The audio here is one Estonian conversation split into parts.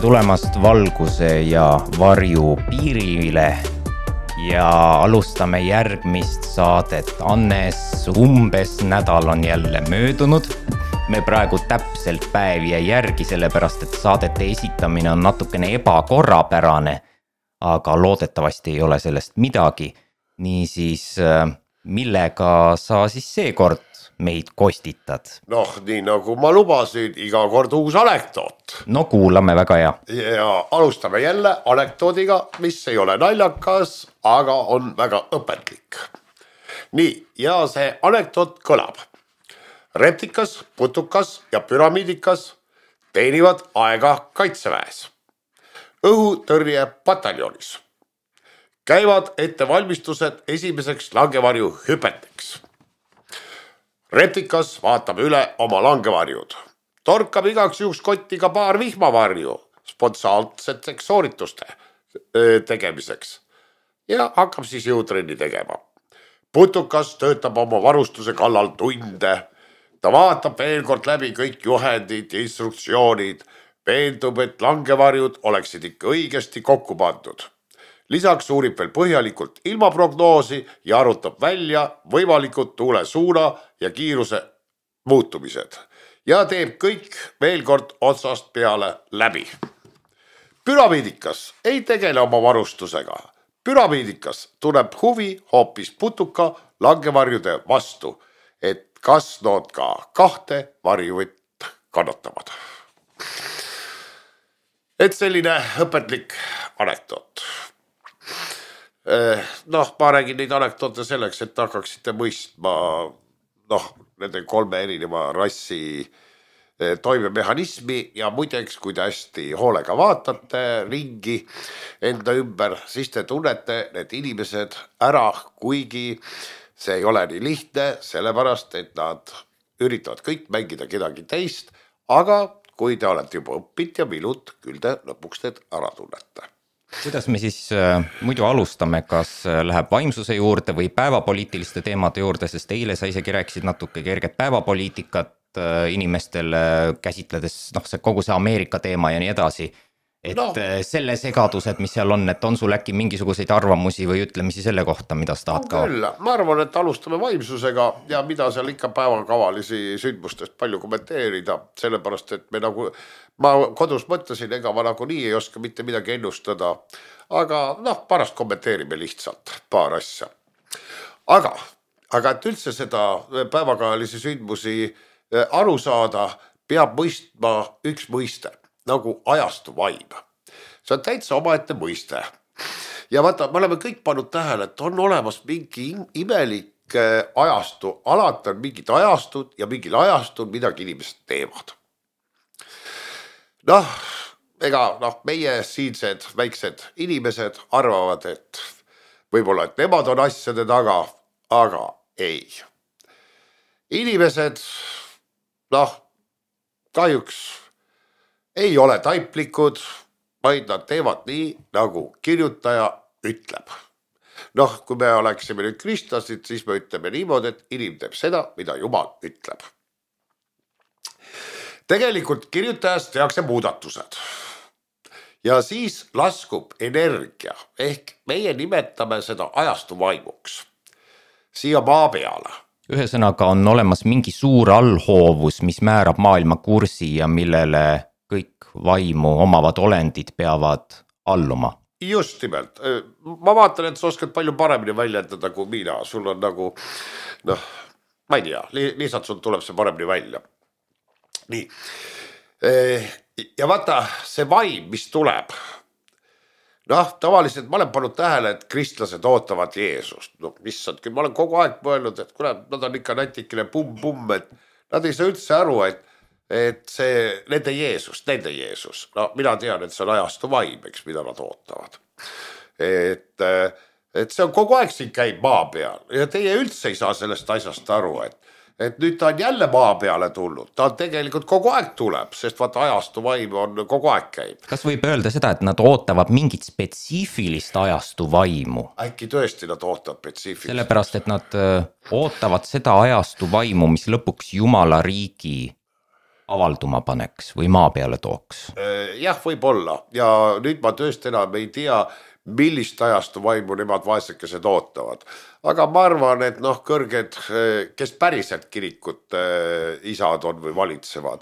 tulemast valguse ja varju piirile ja alustame järgmist saadet. Annes, umbes nädal on jälle möödunud. Me praegu täpselt päev jäi järgi, sellepärast et saadete esitamine on natukene ebakorrapärane, aga loodetavasti ei ole sellest midagi. Niisiis, millega sa siis seekord meid kostitad? Noh, nii nagu ma lubasin, iga kord uus anekdoot. No kuulame, väga hea. Ja alustame jälle anekdoodiga, mis ei ole naljakas, aga on väga õpetlik. Nii, ja see anekdoot kõlab. Reptikas, putukas ja püramiidikas teenivad aega kaitseväes. Õhutõrje pataljonis. Käivad ettevalmistused esimeseks langevarju hüpeteks. Reptikas vaatab üle oma langevarjud. Torkab igaks juhuks kotti ka paar vihmavarju spontaanseteks soorituste tegemiseks. Ja hakkab siis jõutrenni tegema. Putukas töötab oma varustuse kallal tunde. Ta vaatab veel kord läbi kõik juhendid ja instruktsioonid. Veendub, et langevarjud oleksid ikka õigesti kokku pandud. Lisaks uurib veel põhjalikult ilmaprognoosi ja arutab välja võimalikud tuule suuna ja kiiruse muutumised. Ja teeb kõik veel kord otsast peale läbi. Püramiidikas ei tegele oma varustusega. Püramiidikas tuleb huvi hoopis putuka langevarjude vastu, et kas nad ka kahte varjuvõtt kannatavad. Et selline õpetlik anekdoot. Noh, ma räägin neid anekdoote selleks, et hakkaksite mõistma nende kolme erineva rassi toimemehhanismi ja muideks, kui te hästi hoolega vaatate ringi enda ümber, siis te tunnete need inimesed ära, kuigi see ei ole nii lihtne, sellepärast, et nad üritavad kõik mängida kedagi teist, aga kui te olete juba õppinud ja minut, küll te lõpuks need ära tunnete. Kuidas me siis muidu alustame, kas läheb vaimsuse juurde või päevapoliitiliste teemade juurde, sest eile sa isegi rääkisid natuke kerget päevapoliitikat inimestele käsitledes, see kogu see Ameerika teema ja nii edasi. Et selle segadused, mis seal on, et on sul äkki mingisuguseid arvamusi või ütlemisi selle kohta, mida sa tahad ka? Küll, ma arvan, et alustame vaimsusega ja mida seal ikka päevakavalisi sündmustest palju kommenteerida, sellepärast, et ma kodus mõtlesin, ega ma nagu nii ei oska mitte midagi ennustada, aga pärast kommenteerime lihtsalt paar asja. Aga et üldse seda päevakavalisi sündmusi aru saada, peab mõistma üks mõiste. Nagu ajastu vaim. See on täitsa omaette mõiste. Ja vaata, me oleme kõik pannud tähele, et on olemas mingi imelik ajastu. Alati on mingid ajastud ja mingil ajastul midagi inimesed teevad. Meie siinsed väiksed inimesed arvavad, et võib-olla, et nemad on asjade taga, aga ei. Inimesed, kahjuks ei ole taiplikud, vaid nad teevad nii, nagu kirjutaja ütleb. Kui me oleksime nüüd kristlasid, siis me ütleme niimoodi, et inim teeb seda, mida Jumal ütleb. Tegelikult kirjutajast tehakse muudatused. Ja siis laskub energia, ehk meie nimetame seda ajastu vaimuks. Siia maa peale. Ühesõnaga on olemas mingi suur allhoovus, mis määrab maailma kursi ja millele kõik vaimu omavad olendid peavad alluma. Just nimelt. Ma vaatan, et sa oskad palju paremini väljendada kui mina. Sul on ma ei tea, lihtsalt sul tuleb see paremini välja. Nii. Ja vaata, see vaim, mis tuleb. Tavaliselt ma olen pannud tähele, et kristlased ootavad Jeesust. Missand, ma olen kogu aeg mõelnud, et nad on ikka natikene pumm, et nad ei saa üldse aru, et see nende Jeesus. Mina tean, et see on ajastu vaim, mida nad ootavad. Et see on kogu aeg siin käib maa peal ja teie üldse ei saa sellest asjast aru, et nüüd ta on jälle maa peale tulnud. Ta on tegelikult kogu aeg tuleb, sest vaata ajastu vaim on kogu aeg käib. Kas võib öelda seda, et nad ootavad mingit spetsiifilist ajastu vaimu? Äkki tõesti nad ootavad spetsiifilist. Sellepärast, et nad ootavad seda ajastu vaimu, mis lõpuks Jumala riigi avalduma paneks või maa peale tooks? Jah, võib-olla ja nüüd ma tõesti enam ei tea, millist ajastu vaimu nemad vaesekesed ootavad. Aga ma arvan, et noh, kõrged, kes päriselt kirikut isad on või valitsevad,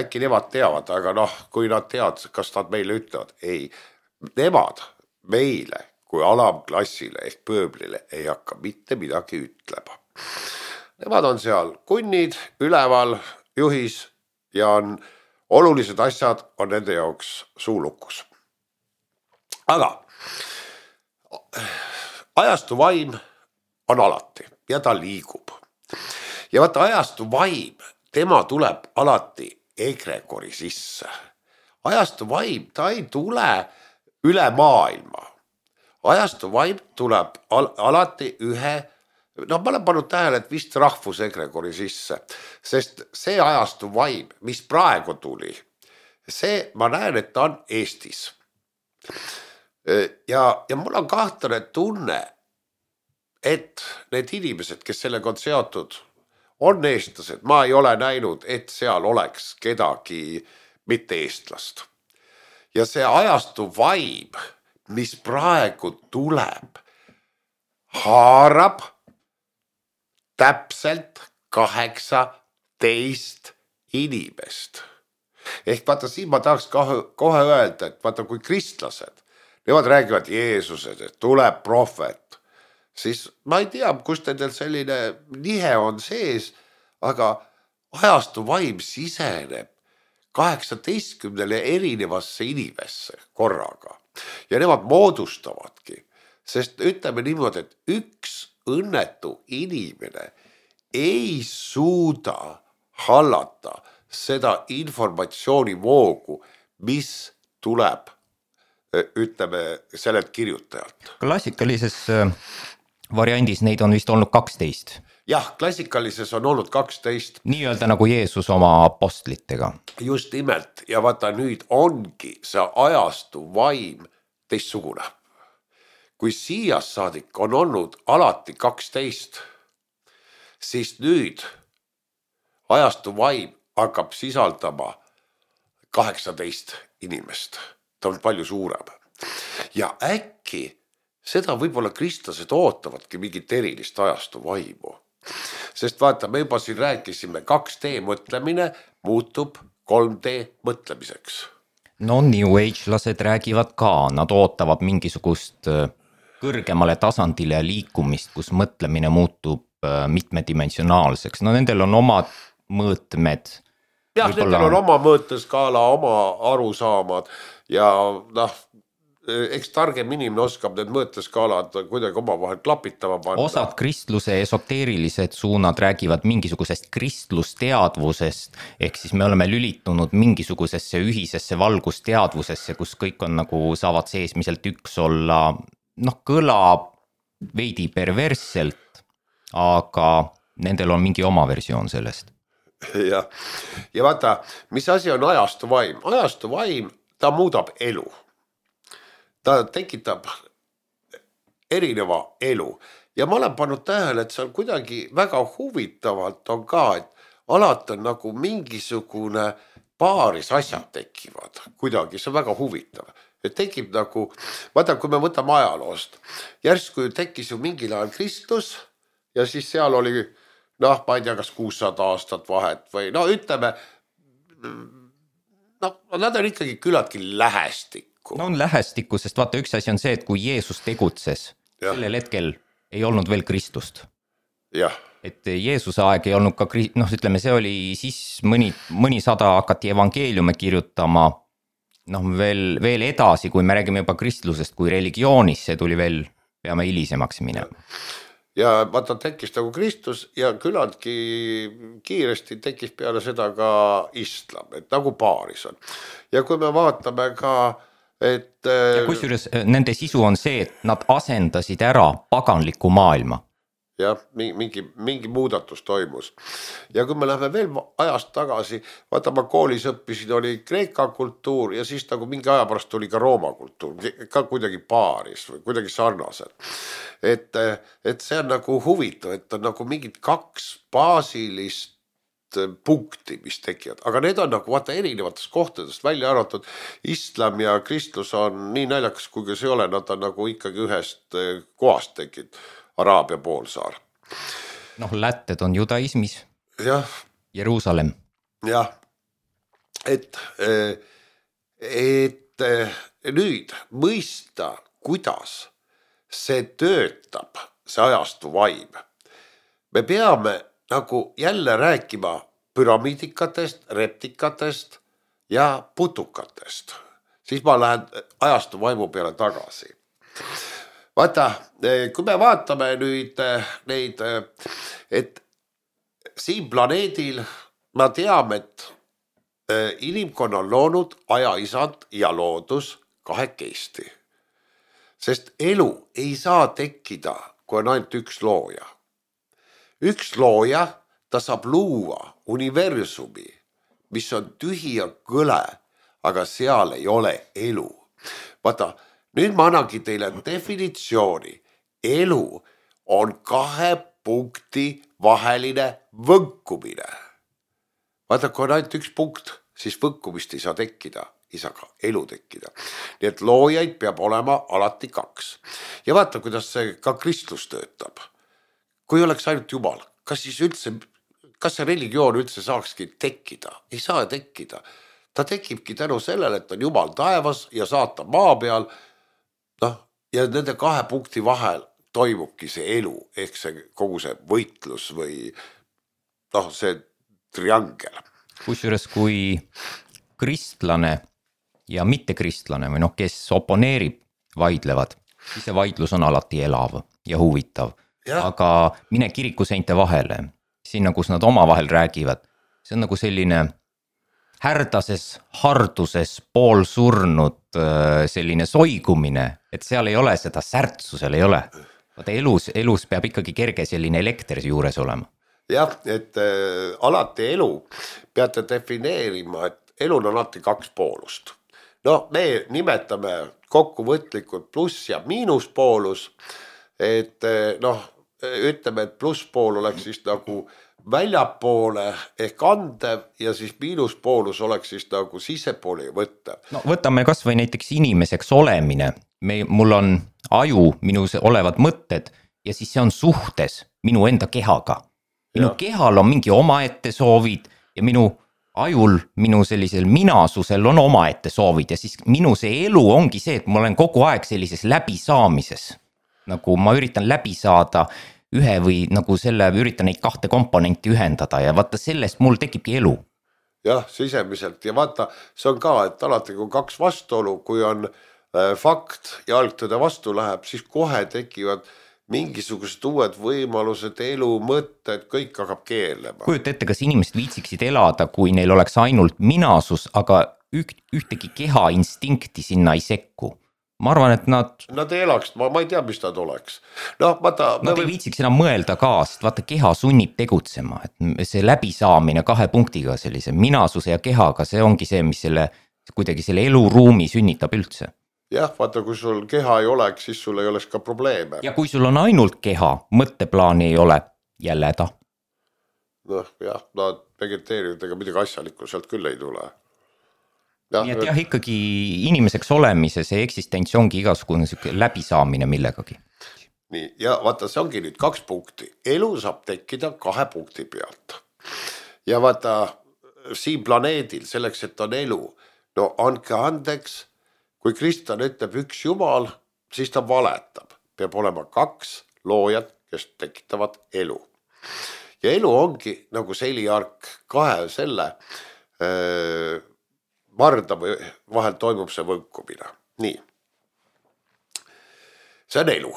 äkki nemad teavad, aga noh, kui nad teavad, kas nad meile ütlevad, ei, nemad meile kui alamklassile ehk pööblile ei hakka mitte midagi ütlema. Nemad on seal kunnid, üleval, juhis ja on olulised asjad on nende jaoks suulukus. Aga ajastu vaim on alati ja ta liigub. Ja vaata ajastu vaim, tema tuleb alati egregori sisse. Ajastu vaim, ta ei tule üle maailma. Ajastu vaim tuleb alati ühe, ma olen pannud tähele, et vist rahvuse egregori sisse, sest see ajastu vaim, mis praegu tuli, see ma näen, et ta on Eestis. Ja mul on kahtlane tunne, et need inimesed, kes sellega on seotud, on eestlased. Ma ei ole näinud, et seal oleks kedagi mitte eestlast. Ja see ajastu vaim, mis praegu tuleb, haarab täpselt 18 inimest. Ehk vaata, siin ma tahaks kohe öelda, et vaata, kui kristlased, nemad räägivad Jeesused, et tuleb prohvet, siis ma ei tea, kust nendel selline nihe on sees, aga ajastu vaim siseneb 18 erinevasse inimesse korraga. Ja nemad moodustavadki, sest ütleme niimoodi, et üks õnnetu inimene ei suuda hallata seda informatsioonivoogu, mis tuleb, ütleme, sellelt kirjutajalt. Klassikalises variandis neid on vist olnud 12. Jah, klassikalises on olnud 12. Nii-öelda nagu Jeesus oma apostlitega. Just nimelt, ja vaata nüüd ongi see ajastu vaim teistsugune. Kui siia saadik on olnud alati 12, siis nüüd ajastu vaim hakkab sisaldama 18 inimest. Ta on palju suurem. Ja äkki seda võib-olla kristlased ootavadki mingit erilist ajastu vaimu. Sest vaata, me juba siin rääkisime, 2D mõtlemine muutub 3D mõtlemiseks. No New Age-lased räägivad ka, nad ootavad mingisugust kõrgemale tasandile liikumist, kus mõtlemine muutub mitmedimensionaalseks. No nendel on omad mõõtmed. Jah, nendel on oma mõõteskaala, oma arusaamad ja noh, eks targem inimene oskab need mõõteskaalad kuidagi oma vahel klapitama panna. Osad kristluse esoteerilised suunad räägivad mingisugusest kristlusteadvusest, ehk siis me oleme lülitunud mingisugusesse ühisesse valgusteadvusesse, kus kõik on nagu saavad seesmiselt üks olla, noh, kõlab veidi perversselt, aga nendel on mingi oma versioon sellest. Ja vaata, mis asi on ajastu vaim? Ajastu vaim, ta muudab elu. Ta tekitab erineva elu ja ma olen pannud tähele, et seal kuidagi väga huvitavalt on ka, et alati on nagu mingisugune paaris asjad tekivad kuidagi, see on väga huvitav. Et tekib nagu, vaata, kui me võtame ajaloost, järsku tekkis ju mingil ajal Kristus ja siis seal oli, noh, ma ei tea, kas 600 aastat vahet või no ütleme, no nad on ikkagi küllaltki lähestikku. No on lähestikku, sest vaata, üks asi on see, et kui Jeesus tegutses, sellel hetkel ei olnud veel Kristust. Jah. Et Jeesuse aeg ei olnud ka, noh, ütleme, see oli siis mõni sada hakati evangeeliume kirjutama, noh, veel edasi, kui me räägime juba kristlusest kui religioonis, see tuli veel, peame hilisemaks minema. Ja vaata, tekkis nagu Kristus ja küllaltki kiiresti tekkis peale seda ka islam, et nagu paaris on. Ja kui me vaatame ka, et ja kusjuures nende sisu on see, et nad asendasid ära paganliku maailma. Jah, mingi muudatus toimus. Ja kui me läheme veel ajast tagasi, vaata, ma koolis õppisin, oli Kreeka kultuur ja siis nagu mingi aja pärast tuli ka Rooma kultuur, ka kuidagi paaris või kuidagi sarnased. Et see on nagu huvitav, et on nagu mingid 2 baasilist punkti, mis tekivad, aga need on nagu vaata erinevatest kohtadest välja arvatud. Islam ja kristlus on nii naljakas, kui see ei ole, nad on nagu ikkagi ühest kohast tekkinud, Araabia poolsaar. Noh, lätted on judaismis. Jah. Jeruusalemm. Jah, et nüüd mõista, kuidas see töötab, see ajastu vaim. Me peame nagu jälle rääkima püramiidikatest, reptikatest ja putukatest. Siis ma lähen ajastu vaimu peale tagasi. Vaata, kui me vaatame nüüd neid, et siin planeedil ma teame, et inimkonna on loonud ajaisand ja loodus kahekesti. Sest elu ei saa tekkida, kui on ainult üks looja. Üks looja, ta saab luua universumi, mis on tühi ja kõle, aga seal ei ole elu. Vaata, nüüd ma annangi teile definitsiooni. Elu on 2 punkti vaheline võnkumine. Vaata, kui on ainult üks punkt, siis võnkumist ei saa tekkida, ei saa ka elu tekkida. Nii et loojaid peab olema alati 2. Ja vaata, kuidas see ka kristlus töötab. Kui oleks ainult Jumal, kas see religioon üldse saakski tekkida? Ei saa tekkida. Ta tekibki tänu sellele, et on Jumal taevas ja saatan maa peal. Ja nende 2 punkti vahel toimubki see elu, ehk see kogu see võitlus või see triangel. Kusjuures kui kristlane ja mittekristlane või kes oponeerib, vaidlevad, siis see vaidlus on alati elav ja huvitav. Ja. Aga mine kirikuseinte vahele, sinna, kus nad omavahel räägivad, see on nagu selline härdases, harduses, poolsurnud selline soigumine, et seal ei ole seda särtsu, seal ei ole. Vaata, elus peab ikkagi kerge selline elekter juures olema. Jah, et alati elu peate defineerima, et elul on alati 2 poolust. Me nimetame kokkuvõtlikult pluss ja miinuspoolus, et ütleme, et plusspool oleks siis nagu väljapoole ehk andev ja siis miinuspoolus oleks siis nagu sisepooli võttev. Võtame kas või näiteks inimeseks olemine. Mul on aju, minus olevad mõtted ja siis see on suhtes minu enda kehaga. Minu kehal on mingi omaette soovid ja minu ajul, minu sellisel minasusel on omaette soovid ja siis minu see elu ongi see, et ma olen kogu aeg sellises läbisaamises. Nagu ma üritan läbi saada ühe või nagu üritan neid 2 komponenti ühendada ja vaata sellest mul tekibki elu. Jah, sisemiselt ja vaata, see on ka, et alati kui 2 vastuolu, kui on fakt ja algtõde vastu läheb, siis kohe tekivad mingisugused uued võimalused, elu, mõtted, kõik hakkab keelema. Kujuta ette, kas inimesed viitsiksid elada, kui neil oleks ainult minasus, aga ühtegi keha instinkti sinna ei sekku. Ma arvan, et nad ei elaks, ma ei tea, mis nad oleks. Nad ei viitsiks enam mõelda ka, sest vaata, keha sunnib tegutsema. Et see läbisaamine 2 punktiga sellise minasuse ja kehaga, see ongi see, mis kuidagi selle eluruumi sünnitab üldse. Jah, vaata, kui sul keha ei oleks, siis sul ei oleks ka probleeme. Ja kui sul on ainult keha, mõtteplaani ei ole, jälle häda. Vegeteerivad, ega midagi asjalikku sealt küll ei tule. Nii et ikkagi inimeseks olemise see eksistents ongi igasugune läbisaamine millegagi. Nii, ja vaata, see ongi nüüd 2 punkti. Elu saab tekkida 2 punkti pealt. Ja vaata, siin planeedil selleks, et on elu, andke andeks, kui kristlane ütleb 1 Jumal, siis ta valetab. Peab olema 2 loojat, kes tekitavad elu. Ja elu ongi nagu seliark 2 selle varda või vahel toimub see võnkumine. Nii. See on elu.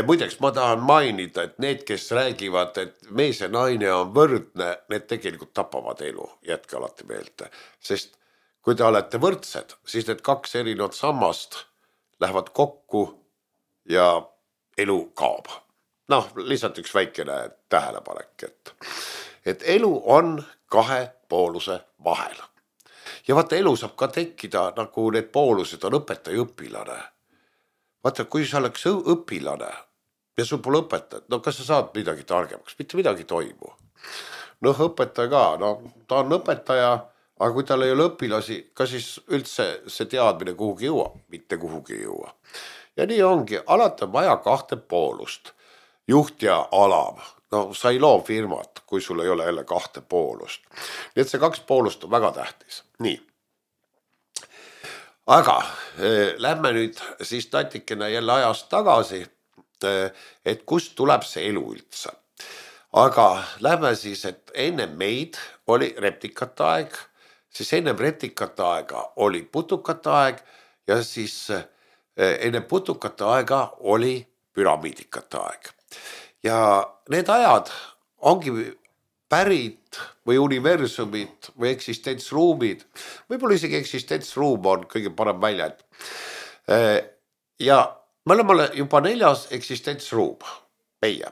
Muideks ma tahan mainida, et need, kes räägivad, et mees ja naine on võrdne, need tegelikult tapavad elu. Jätke alati meelde. Sest kui te olete võrdsed, siis need 2 erinevat sammast lähevad kokku ja elu kaob. Lihtsalt üks väikene tähelepanek, et elu on 2 pooluse vahel. Ja vaata, elu saab ka tekkida, nagu need poolused on õpetaja õpilane. Vaata, kui sa oleks õpilane ja sul pole õpetajat, kas sa saad midagi targemaks, mitte midagi toimu. noh, õpetaja ka, no ta on õpetaja, aga kui tal ei ole õpilasi, ka siis üldse see teadmine kuhugi jõua, mitte kuhugi jõua. Ja nii ongi, alati on vaja kahte poolust, juht ja alav. No sa ei loo firmat, kui sul ei ole jälle kahte poolust. Nii et see kaks poolust on väga tähtis. Nii. Aga lähme nüüd siis natikene jälle ajast tagasi, et kust tuleb see elu üldse. Aga lähme siis, et enne meid oli reptikate aeg, siis enne reptikate aega oli putukate aeg ja siis enne putukate aega oli püramiidikate aeg. Ja need ajad ongi pärit või universumid või eksistentsruumid, võib-olla isegi eksistentsruum on kõige parem väljend. Ja me oleme juba 4. eksistentsruum, meie.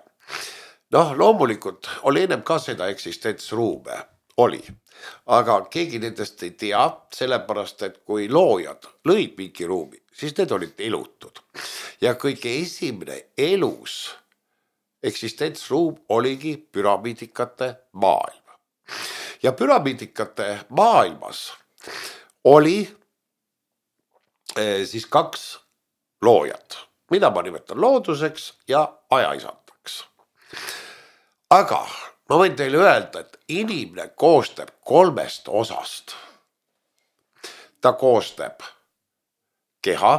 Noh, loomulikult oli ennem ka seda eksistentsruume, oli. Aga keegi nendest ei tea, sellepärast, et kui loojad lõid mingi ruumi, siis need olid elutud. Ja kõige esimene elus eksistentsruum oligi püramiidikate maailm. Ja püramiidikate maailmas oli siis 2 loojat, mida ma nimetan looduseks ja ajaisandaks. Aga ma võin teile öelda, et inimene koostab 3 osast. Ta koostab keha,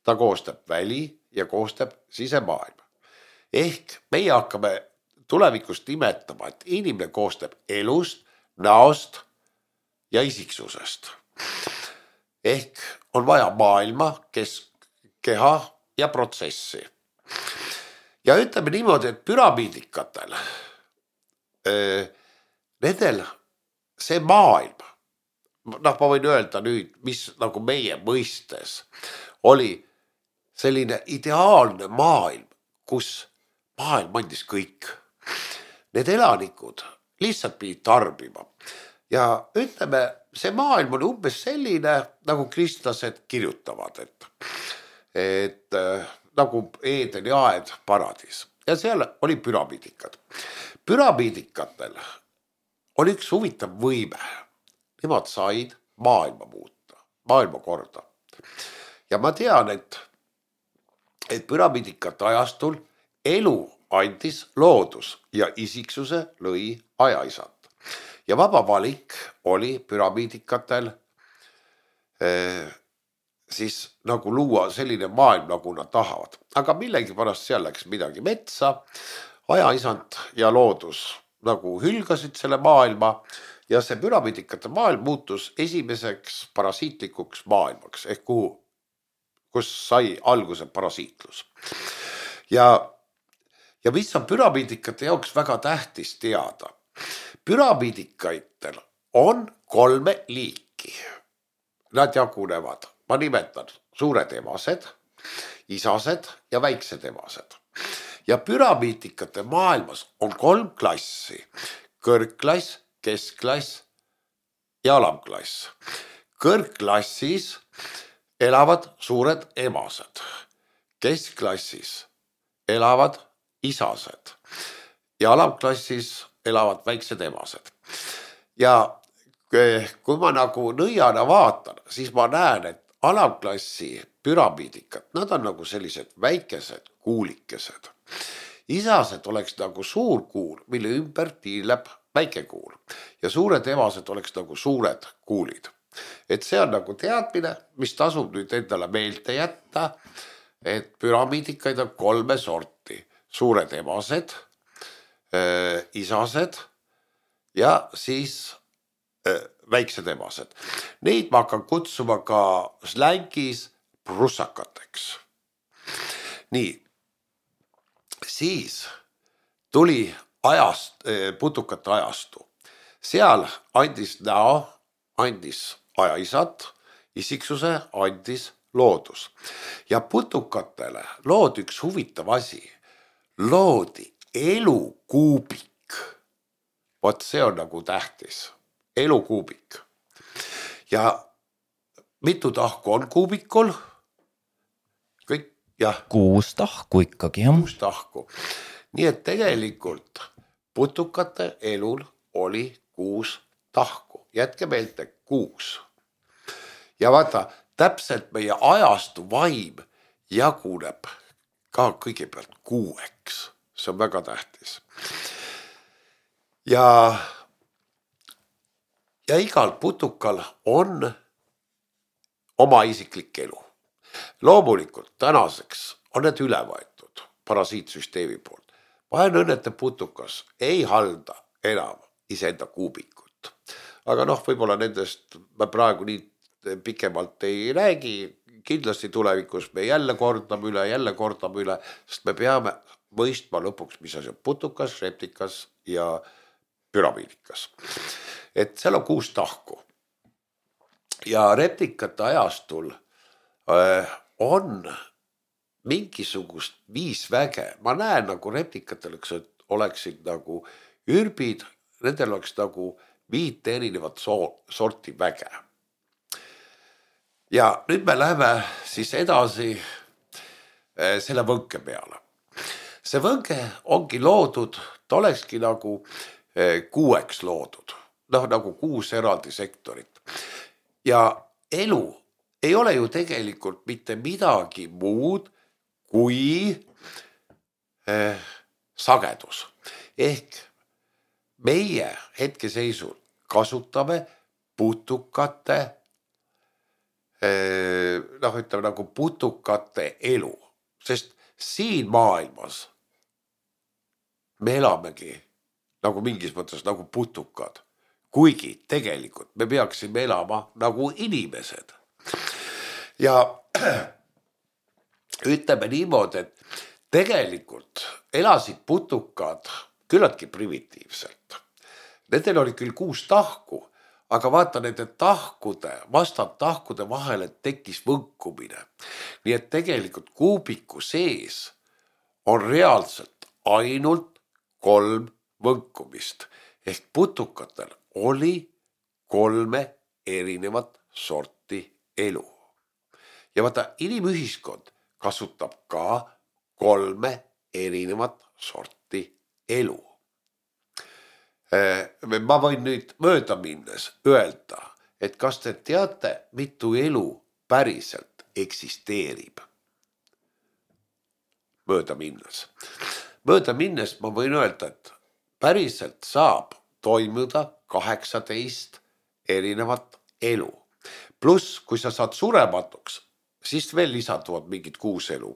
ta koostab väli ja koostab sisemaailma. Ehk meie hakkame tulevikus nimetama, et inimene koostab elust, näost ja isiksusest. Ehk on vaja maailma, keha ja protsessi. Ja ütleme niimoodi, et püramiidikatel, nendel see maailm, noh ma võin öelda nüüd, mis nagu meie mõistes oli selline ideaalne maailm, kus maailm andis kõik. Need elanikud lihtsalt pidid tarbima. Ja ütleme, see maailm on umbes selline, nagu kristlased kirjutavad, et nagu Eedeni aed paradis. Ja seal oli püramiidikad. Püramiidikatel oli üks huvitav võime. Nemad said maailma muuta, maailma korda. Ja ma tean, et püramiidikate ajastul elu andis loodus ja isiksuse lõi ajaisand. Ja vaba valik oli püramiidikatel siis nagu luua selline maailm, nagu nad tahavad. Aga millegipärast seal läks midagi metsa, ajaisand ja loodus nagu hülgasid selle maailma ja see püramiidikate maailm muutus esimeseks parasiitlikuks maailmaks ehk kus sai alguse parasiitlus. Ja mis on püramiidikate jaoks väga tähtis teada? Püramiidikaitel on 3 liiki. Nad jagunevad, ma nimetan suured emased, isased ja väiksed emased. Ja püramiidikate maailmas on 3 klassi. Kõrgklass, keskklass ja alamklass. Kõrgklassis elavad suured emased. Keskklassis elavad isased ja alamklassis elavad väiksed emased. Ja kui ma nagu nõiana vaatan, siis ma näen, et alamklassi püramiidikad, nad on nagu sellised väikesed kuulikesed. Isased oleks nagu suur kuul, mille ümber tiirleb väike kuul ja suured emased oleks nagu suured kuulid. Et see on nagu teadmine, mis tasub nüüd endale meelde jätta, et püramiidikaid on 3 sorti. Suured emased, isased ja siis väiksed emased. Neid ma hakkan kutsuma ka slängis prussakateks. Nii, siis tuli putukate ajastu. Seal andis näo, andis ajaisad, isiksuse andis loodus. Ja putukatele loodi üks huvitav asi. Loodi elukuubik. Vot see on nagu tähtis. Elukuubik. Ja mitu tahku on kuubikul? Kõik, jah. 6 tahku ikkagi, jah. 6 tahku. Nii et tegelikult putukate elul oli 6 tahku. Jätke meelde 6. Ja vaata, täpselt meie ajastu vaim jaguneb ka kõigepealt 6. See on väga tähtis. Ja igal putukal on oma isiklik elu. Loomulikult tänaseks on need üle võetud parasiitsüsteemi poolt. Vaenõnnete putukas ei halda enam iseenda kuubikut. Aga võib-olla nendest me praegu nii pikemalt ei räägi. Kindlasti tulevikus me jälle kordame üle, sest me peame mõistma lõpuks, mis asi on putukas, reptikas ja püramiidikas. Et seal on 6 tahku. Ja reptikate ajastul on mingisugust 5 väge. Ma näen nagu reptikatel oleksid nagu ürbid, nendel oleks nagu 5 erinevat sorti väge. Ja nüüd me läheme siis edasi selle võnke peale. See võnke ongi loodud, ta olekski nagu 6 loodud, nagu 6 eraldi sektorit. Ja elu ei ole ju tegelikult mitte midagi muud kui sagedus. Ehk meie hetkeseisul kasutame putukate, ütleme nagu putukate elu, sest siin maailmas me elamegi nagu mingis mõttes nagu putukad, kuigi tegelikult me peaksime elama nagu inimesed. Ja ütleme niimoodi, et tegelikult elasid putukad küllaltki primitiivselt. Nendel oli küll 6 tahku, aga vaata nende vastandtahkude vahele tekkis võnkumine. Nii et tegelikult kuubiku sees on reaalselt ainult 3 võnkumist. Ehk putukatel oli 3 erinevat sorti elu. Ja vaata, inimühiskond kasutab ka 3 erinevat sorti elu. Ma võin nüüd mööda minnes öelda, et kas te teate, mitu elu päriselt eksisteerib? Mööda minnes ma võin öelda, et päriselt saab toimuda 18 erinevat elu. Pluss, kui sa saad surematuks, siis veel lisanduvad mingid 6 elu.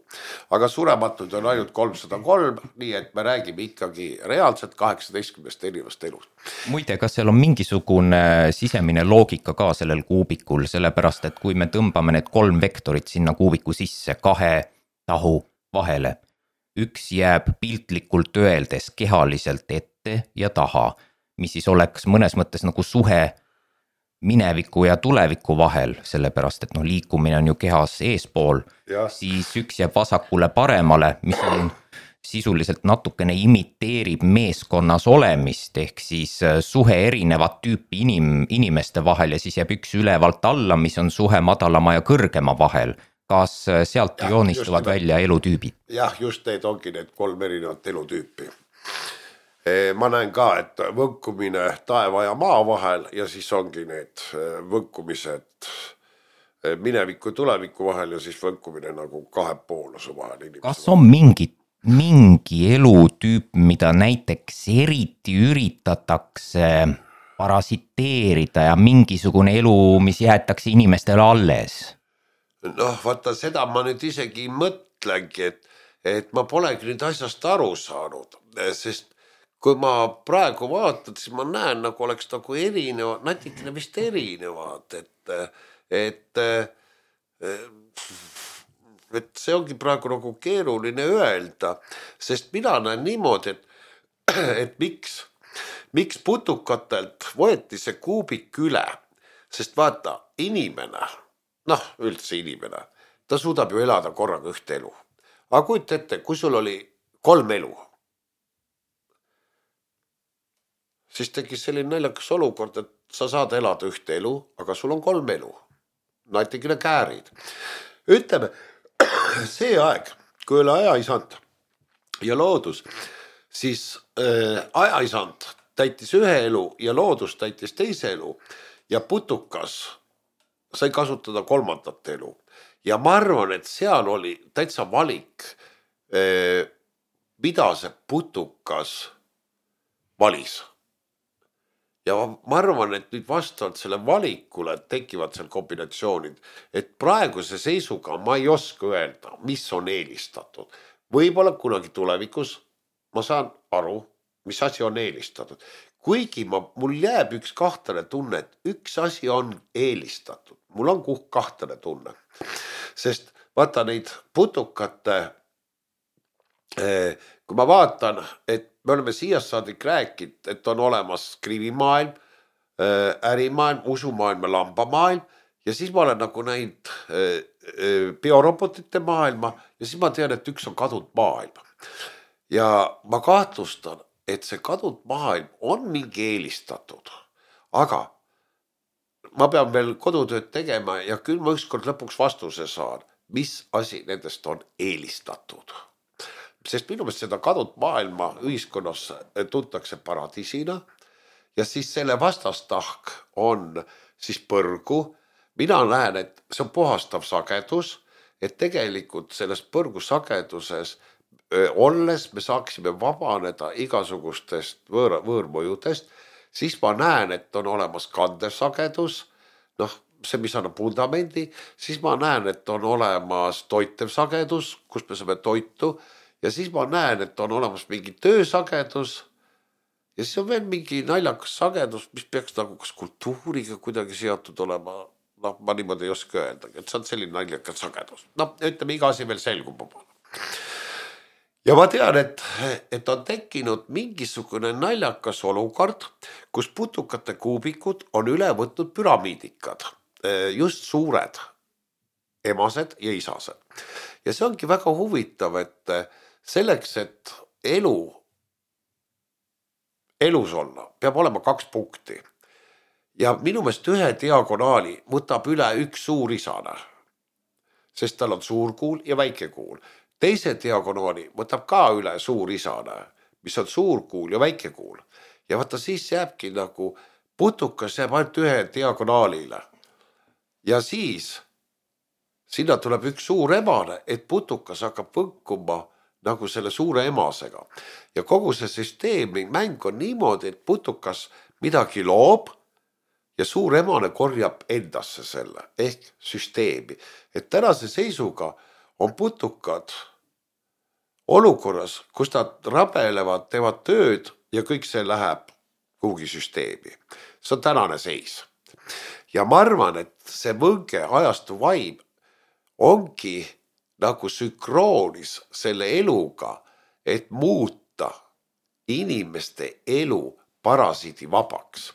Aga surematud on ainult 303, nii et me räägime ikkagi reaalselt 18 erinevast elust. Muide, kas seal on mingisugune sisemine loogika ka sellel kuubikul, sellepärast et kui me tõmbame need 3 vektorit sinna kuubiku sisse 2 tahu vahele, üks jääb piltlikult öeldes kehaliselt ette ja taha, mis siis oleks mõnes mõttes nagu suhe mineviku ja tuleviku vahel, sellepärast et liikumine on ju kehas eespool, siis üks jääb vasakule paremale, mis on sisuliselt natukene imiteerib meeskonnas olemist, ehk siis suhe erinevat tüüpi inimeste vahel ja siis jääb üks ülevalt alla, mis on suhe madalama ja kõrgema vahel. Kas sealt joonistuvad välja elutüübid? Jah, just need ongi need 3 erinevat elutüüpi. Ma näen ka, et võnkumine taeva ja maa vahel ja siis ongi need võnkumised mineviku ja tuleviku vahel ja siis võnkumine nagu 2 pooluse vahel. Kas on mingi elutüüp, mida näiteks eriti üritatakse parasiteerida ja mingisugune elu, mis jäetakse inimestele alles? Vaata, seda ma nüüd isegi mõtlengi, et ma polegi nüüd asjast aru saanud, sest kui ma praegu vaatan, siis ma näen, nagu oleks nagu erinevad, natikene vist erinevad, et see ongi praegu nagu keeruline öelda, sest mina näen niimoodi, et miks putukatelt võeti see kuubik üle, sest vaata, inimene, üldse inimene, ta suudab ju elada korraga ühte elu. Aga kujuta ette, kui sul oli 3 elu, siis tekkis selline naljakas olukord, et sa saad elada ühte elu, aga sul on 3 elu. Natikene käärid. Ütleme, see aeg, kui oli ajaisand ja loodus, siis ajaisand täitis ühe elu ja loodus täitis teise elu ja putukas sai kasutada kolmandat elu. Ja ma arvan, et seal oli täitsa valik, mida see putukas valis. Ja ma arvan, et nüüd vastavalt selle valikule tekivad seal kombinatsioonid, et praeguse seisuga ma ei oska öelda, mis on eelistatud. Võib-olla kunagi tulevikus ma saan aru, mis asi on eelistatud. Kuigi mul jääb üks kahtlane tunne, et üks asi on eelistatud. Mul on kahtlane tunne. Sest vaata neid putukate, kui ma vaatan, et me oleme siiast saadik rääkinud, et on olemas krivimaailm, ärimaailm, usumaailm ja lambamaailm ja siis ma olen nagu näinud biorobotite maailma ja siis ma tean, et üks on kadunud maailm. Ja ma kahtlustan, et see kadunud maailm on mingi eelistatud, aga ma pean veel kodutööd tegema ja küll ma ükskord lõpuks vastuse saan, mis asi nendest on eelistatud. Sest minu meelest seda kadunud maailma ühiskonnas tuntakse paradiisina ja siis selle vastastahk on siis põrgu. Mina näen, et see on puhastav sagedus, et tegelikult selles põrgu sageduses olles me saaksime vabaneda igasugustest võõrmõjudest, siis ma näen, et on olemas kandev sagedus, see, mis annab vundamendi, siis ma näen, et on olemas toitev sagedus, kus me saame toitu ja siis ma näen, et on olemas mingi töösagedus ja siis on veel mingi naljakas sagedus, mis peaks nagu kas kultuuriga kuidagi seotud olema. Ma niimoodi ei oska öelda, et see on selline naljakas sagedus. Ütleme, iga asi veel selgub. Ja ma tean, et on tekkinud mingisugune naljakas olukord, kus putukate kuubikud on üle võtnud püramiidikad, just suured emased ja isased. Ja see ongi väga huvitav, et selleks, et elus olla, peab olema 2 punkti. Ja minu meelest ühe diagonaali võtab üle üks suur isane, sest tal on suur kuul ja väike kuul. Teise diagonaali võtab ka üle suur isane, mis on suur kuul ja väike kuul. Ja vaata siis jääbki nagu putukas jääb ainult ühe diagonaalile. Ja siis sinna tuleb üks suur emane, et putukas hakkab võnkuma nagu selle suure emasega. Ja kogu see süsteemi mäng on niimoodi, et putukas midagi loob ja suur emane korjab endasse selle ehk süsteemi. Et tänase seisuga on putukad olukorras, kus nad rabelevad, teevad tööd ja kõik see läheb kuhugi süsteemi. See on tänane seis. Ja ma arvan, et see võnge ajastu vaim ongi nagu sünkroonis selle eluga, et muuta inimeste elu parasiidi vabaks.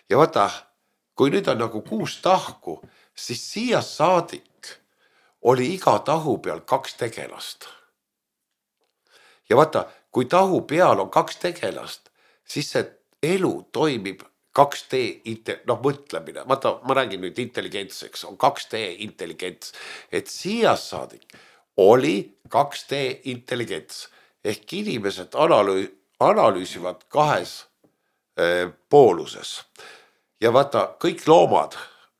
Ja vaata, kui nüüd on nagu 6 tahku, siis siiast saadik oli iga tahu peal 2 tegelast. Ja vaata, kui tahu peal on 2 tegelast, siis see elu toimib 2D mõtlemine. Vaata, ma räägin nüüd intelligentseks, on 2D intelligents. Et siiast saadik oli 2D intelligents. Ehk inimesed analüüsivad 2 pooluses. Ja vaata, kõik loomad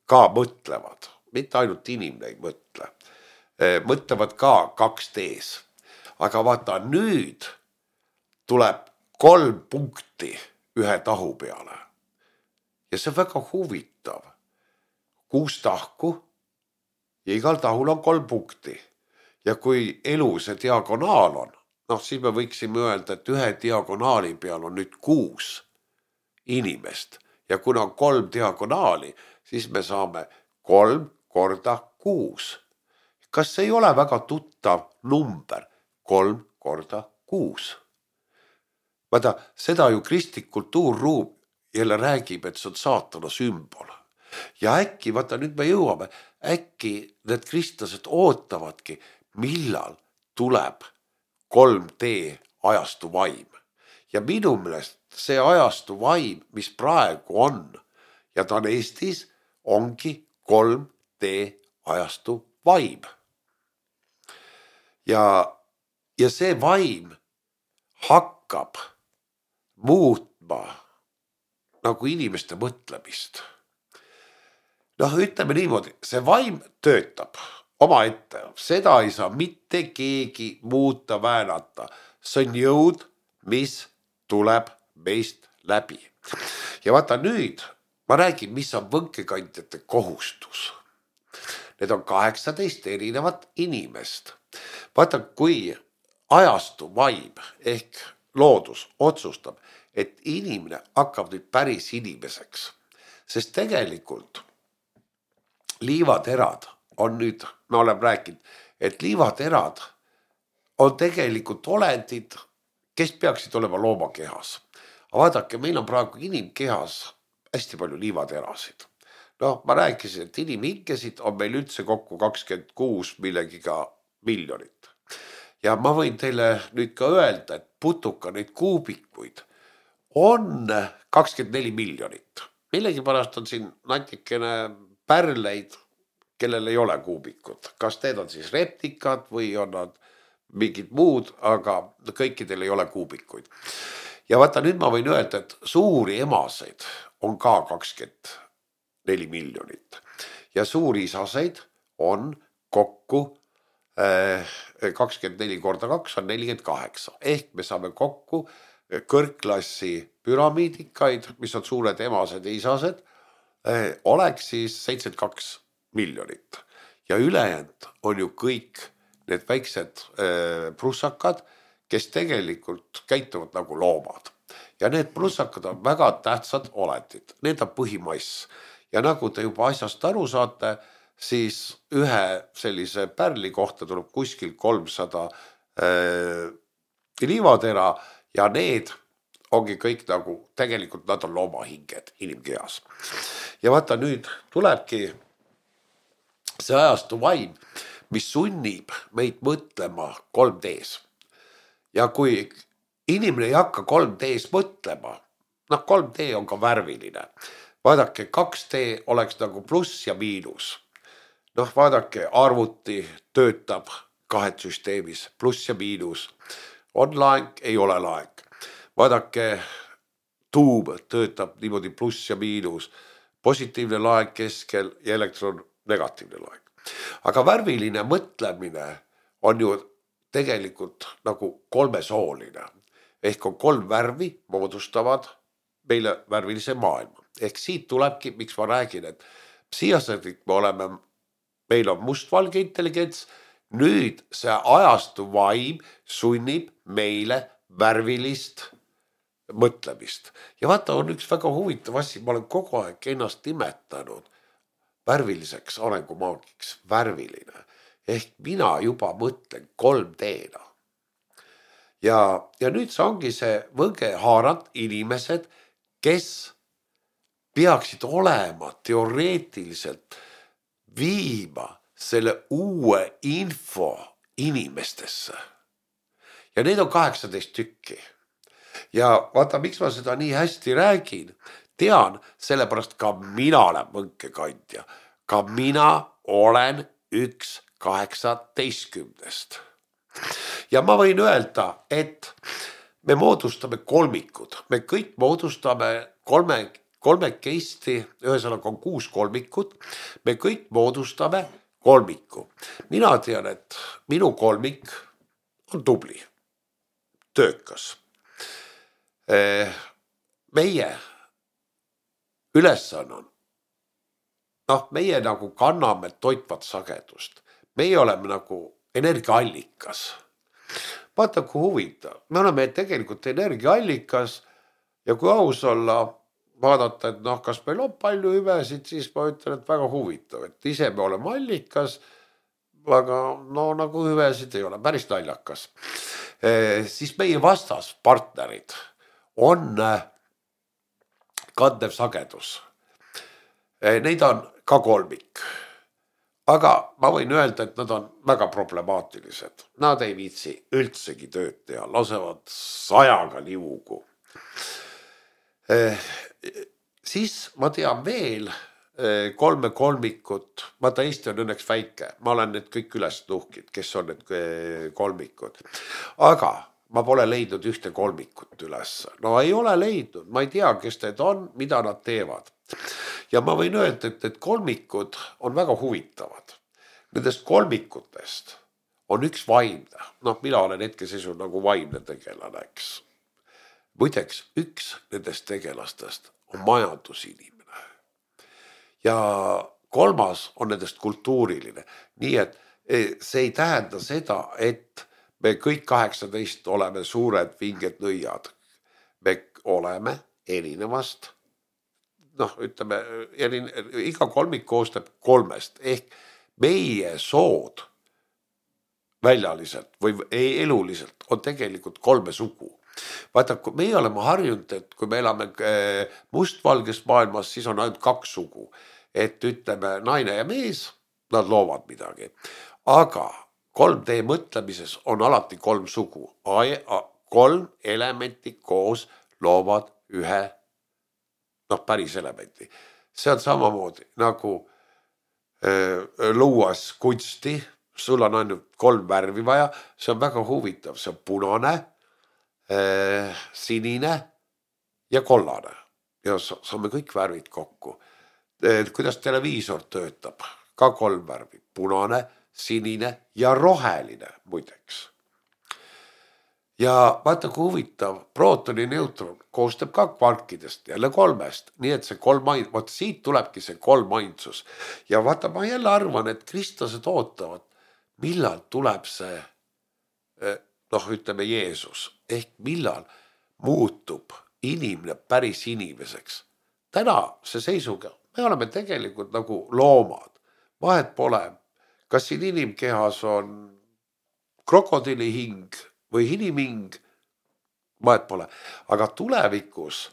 ka mõtlevad, mitte ainult inimene ei mõtle. Mõtlevad ka 2Ds. Aga vaata, nüüd tuleb 3 punkti ühe tahu peale. Ja see on väga huvitav. 6 tahku ja igal tahul on 3 punkti. Ja kui elu see diagonaal on, siis me võiksime öelda, et ühe diagonaali peal on nüüd 6 inimest. Ja kuna on 3 diagonaali, siis me saame 3 korda 6. Kas see ei ole väga tuttav number? 3 korda 6. Vaata, seda ju kristlik kultuurruum jälle räägib, et see on saatana sümbol. Ja äkki, vaata nüüd me jõuame, äkki need kristlased ootavadki, millal tuleb 3D ajastu vaim. Ja minu meelest see ajastu vaim, mis praegu on, ja ta on Eestis, ongi 3D ajastu vaim. Ja see vaim hakkab muutma nagu inimeste mõtlemist. Noh, ütleme niimoodi, see vaim töötab omaette, seda ei saa mitte keegi muuta, väänata. See on jõud, mis tuleb meist läbi. Ja vaata nüüd, ma räägin, mis on võnkekandjate kohustus. Need on 18 erinevat inimest. Vaata, kui ajastu vaim ehk loodus otsustab, et inimene hakkab nüüd päris inimeseks, sest tegelikult liivaterad on nüüd, me oleme rääkinud, et liivaterad on tegelikult olendid, kes peaksid olema loomakehas. Aga vaadake, meil on praegu inimkehas hästi palju liivaterasid. No ma rääkisin, et inimhinkesid on meil üldse kokku 26 millegiga miljonit. Ja ma võin teile nüüd ka öelda, et putuka neid kuubikuid on 24 miljonit. Millegipärast on siin natikene pärleid, kellel ei ole kuubikud. Kas need on siis reptikad või on nad mingid muud, aga kõikidel ei ole kuubikuid. Ja vaata, nüüd ma võin öelda, et suuri emaseid on ka 24 miljonit. Ja suuri isaseid on kokku 24 korda 2 on 48. Ehk me saame kokku kõrgklassi püramiidikaid, mis on suured emased ja isased, oleks siis 72 miljonit. Ja ülejäänud on ju kõik need väiksed prussakad, kes tegelikult käituvad nagu loomad. Ja need prussakad on väga tähtsad olendid. Need on põhimass. Ja nagu te juba asjast aru saate, siis ühe sellise pärli kohta tuleb kuskil 300 liivatera ja need ongi kõik nagu, tegelikult nad on loomahinged inimkehas. Ja vaata, nüüd tulebki see ajastu vaim, mis sunnib meid mõtlema 3Ds. Ja kui inimene ei hakka 3Ds mõtlema, 3D on ka värviline. Vaadake, 2D oleks nagu pluss ja miinus. Vaadake, arvuti töötab 2 süsteemis, pluss ja miinus. On laeng, ei ole laeng. Vaadake, tuum töötab niimoodi pluss ja miinus. Positiivne laeng keskel ja elektron negatiivne laeng. Aga värviline mõtlemine on ju tegelikult nagu kolmesooline. Ehk on 3 värvi moodustavad meile värvilise maailma. Ehk siit tulebki, miks ma räägin, et psihhiaatrik me oleme, meil on mustvalge intelligents, nüüd see ajastu vaim sunnib meile värvilist mõtlemist. Ja vaata, on üks väga huvitav asi, ma olen kogu aeg ennast nimetanud värviliseks arengumaagiks, värviline. Ehk mina juba mõtlen 3D-na. Ja nüüd see ongi see võgehaarad inimesed, kes peaksid olema teoreetiliselt viima selle uue info inimestesse. Ja need on 18 tükki. Ja vaata, miks ma seda nii hästi räägin, tean, sellepärast ka mina olen võnkekandja. Ka mina olen 1/18. Ja ma võin öelda, et me moodustame kolmikud. Me kõik moodustame kolmekesti, ühesõnaga on 6 kolmikut. Me kõik moodustame kolmiku. Mina tean, et minu kolmik on tubli, töökas. Meie ülesanne on, meie nagu kanname toitvat sagedust. Meie oleme nagu energiaallikas. Vaata, kui huvitav. Me oleme tegelikult energiaallikas ja kui aus olla, vaadata, et kas meil on palju hüvesid, siis ma ütlen, et väga huvitav, et ise me oleme allikas, aga nagu hüvesid ei ole, päris naljakas. Siis meie vastas partnerid on kandev sagedus. Neid on ka kolmik. Aga ma võin öelda, et nad on väga problemaatilised. Nad ei viitsi üldsegi tööd teha, lasevad 100 liugu. Siis ma tean veel 3 kolmikut. Vaata, Eesti on õnneks väike. Ma olen need kõik üles nuhkid, kes on need kolmikud. Aga ma pole leidnud ühte kolmikut üles. No ei ole leidnud, ma ei tea, kes need on, mida nad teevad. Ja ma võin öelda, et kolmikud on väga huvitavad. Nendest kolmikutest on üks vaimne. Noh, mina olen hetkeseisus nagu vaimne tegelane, eks. Muideks, üks nendest tegelastest on majandusinimene. Ja kolmas on nendest kultuuriline. Nii et see ei tähenda seda, et me kõik 18 oleme suured vinged nõiad. Me oleme erinevast, noh, ütleme, iga kolmik koostab kolmest ehk meie sood väljaliselt või eluliselt on tegelikult kolme sugu. Vaata, kui meie oleme harjunud, et kui me elame mustvalges maailmas, siis on ainult kaks sugu. Et ütleme, naine ja mees, nad loovad midagi. Aga 3D mõtlemises on alati kolm sugu. Kolm elementi koos loovad ühe, noh, päris elementi. See on samamoodi nagu luuas kunsti, sul on ainult kolm värvi vaja, see on väga huvitav, see on punane, sinine ja kollane. Ja saame kõik värvid kokku. Kuidas televiisor töötab, ka kolm värvi, punane, sinine ja roheline muideks. Ja vaata, kui huvitav, prootoni neutron koostab ka kvarkidest, jälle kolmest, nii et see vaata siit tulebki see kolmainsus. Ja vaata, ma jälle arvan, et kristlased ootavad, millal tuleb see, noh, ütleme Jeesus, ehk millal muutub inimene päris inimeseks. Täna see seisuga, me oleme tegelikult nagu loomad, vahet pole, kas siin inimkehas on krokodili hing või inimhing, vahet pole. Aga tulevikus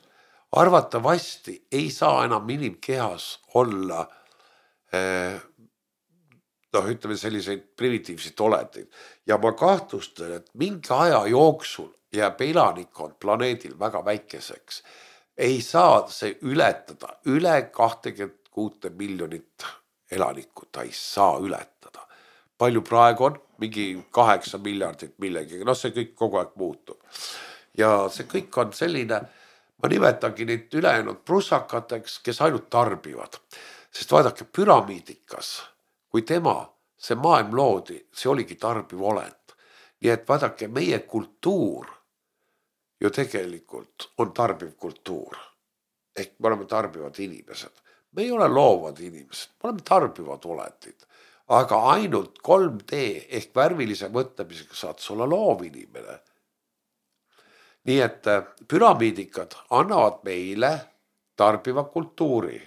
arvatavasti ei saa enam inimkehas olla noh, ütleme selliseid primitiivseid oleteid. Ja ma kahtlustan, et mingi aja jooksul jääb elanikkond planeedil väga väikeseks. Ei saa see ületada üle 26 miljonit elanikku, ta ei saa ületada. Palju praegu on? Mingi 8 miljardit millegagi, noh see kõik kogu aeg muutub. Ja see kõik on selline, ma nimetangi neid ülejäänud prussakateks, kes ainult tarbivad. Sest vaadake, püramiidikas, kui see maailm loodi, see oligi tarbiv olend. Nii et vaadake, meie kultuur ju tegelikult on tarbiv kultuur. Ehk me oleme tarbivad inimesed. Me ei ole loovad inimesed, me oleme tarbivad olendid. Aga ainult 3D ehk värvilise mõtlemisega saad olla loov inimene. Nii et püramiidikad annavad meile tarbiva kultuuri.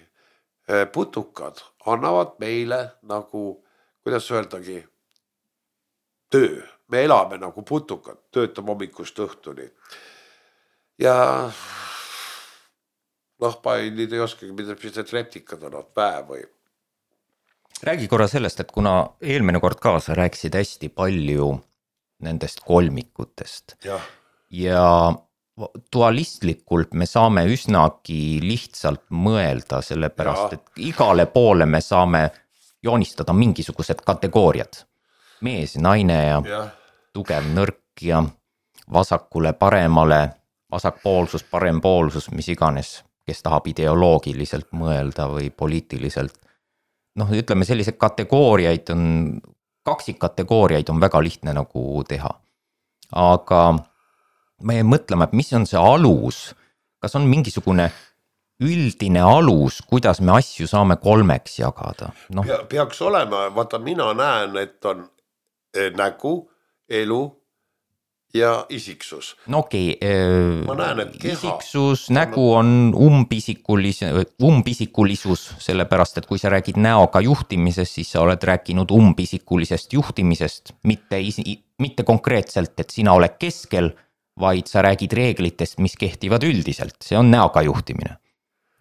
Putukad annavad meile nagu, kuidas öeldagi, töö. Me elame nagu putukad, töötab hommikust õhtuni. Ja noh, nüüd ei oskagi, mida need reptikad on, päev või. Räägi korra sellest, et kuna eelmine kord ka sa rääkisid hästi palju nendest kolmikutest ja dualistlikult me saame üsnagi lihtsalt mõelda, sellepärast, et igale poole me saame joonistada mingisugused kategooriad. Mees, naine ja tugev, nõrk ja vasakule, paremale, vasakpoolsus, parempoolsus, mis iganes, kes tahab ideoloogiliselt mõelda või poliitiliselt. Noh, ütleme sellised kategooriaid on, kaksikkategooriaid on väga lihtne nagu teha. Aga me mõtleme, et mis on see alus, kas on mingisugune üldine alus, kuidas me asju saame kolmeks jagada? No. Peaks olema, vaata mina näen, et on nägu, elu ja isiksus. No okei, ma näen, et keha isiksus, nägu on umbisikulisus, sellepärast, et kui sa räägid näoga juhtimisest, siis sa oled rääkinud umbisikulisest juhtimisest, mitte konkreetselt, et sina oled keskel, vaid sa räägid reeglitest, mis kehtivad üldiselt. See on näoga juhtimine.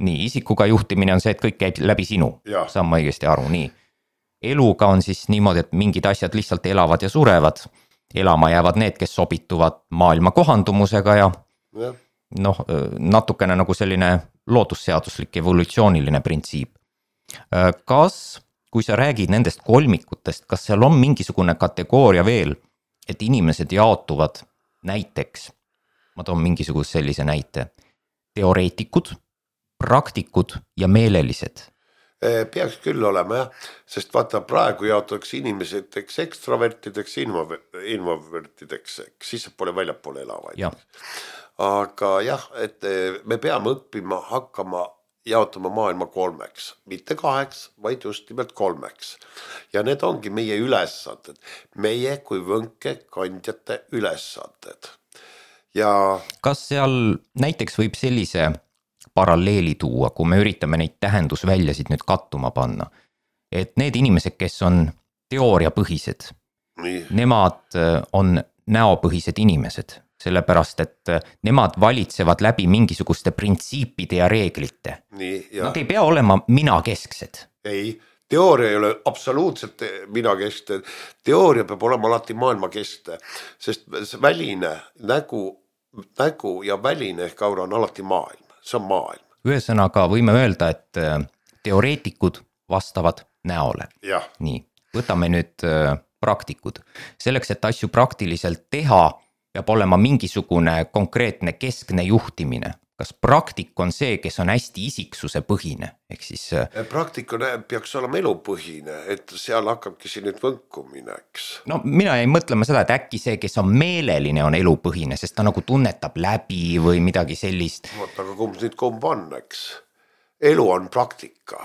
Nii, isikuga juhtimine on see, et kõik käib läbi sinu. Saan ma õigesti aru, nii. Eluga on siis niimoodi, et mingid asjad lihtsalt elavad ja surevad. Elama jäävad need, kes sobituvad maailma kohandumusega ja noh, natukene nagu selline loodusseaduslik evolutsiooniline printsiip. Kas, kui sa räägid nendest kolmikutest, kas seal on mingisugune kategooria veel, et inimesed jaotuvad näiteks, ma toon mingisuguse sellise näite, teoreetikud, praktikud ja meelelised. Peaks küll olema jah, sest vaata praegu jaotakse inimeseteks ekstravertideks, introvertideks, siis pole väljapoole elavaid. Ja. Aga jah, et me peame õppima hakkama jaotama maailma 3, mitte 2, vaid just nimelt 3. Ja need ongi meie ülesanded, meie kui võnkekandjate ülesanded. Ja kas seal näiteks võib sellise paralleeli tuua, kui me üritame neid tähendusväljasid nüüd kattuma panna, et need inimesed, kes on teooriapõhised, nii, nemad on näopõhised inimesed, sellepärast et nemad valitsevad läbi mingisuguste printsiipide ja reeglite. nii ja Nad ei pea olema minakesksed. ei, teooria ei ole absoluutselt minakeskne, teooria peab olema alati maailmakeskne, sest väline nägu ja väline ehk aura on alati maailm, see on maailm. Ühesõnaga võime öelda, et teoreetikud vastavad näole. Jah, Nii, võtame nüüd praktikud. Selleks, et asju praktiliselt teha, peab olema mingisugune konkreetne keskne juhtimine. Kas praktik on see, kes on hästi isiksuse põhine? Ehk siis praktika peaks olema elupõhine, et seal hakkabki siin nüüd võnkumine, eks. no mina jäin mõtlema seda, et äkki see, kes on meeleline, on elupõhine, sest ta nagu tunnetab läbi või midagi sellist. Vaata, aga kumb on, eks. Elu on praktika,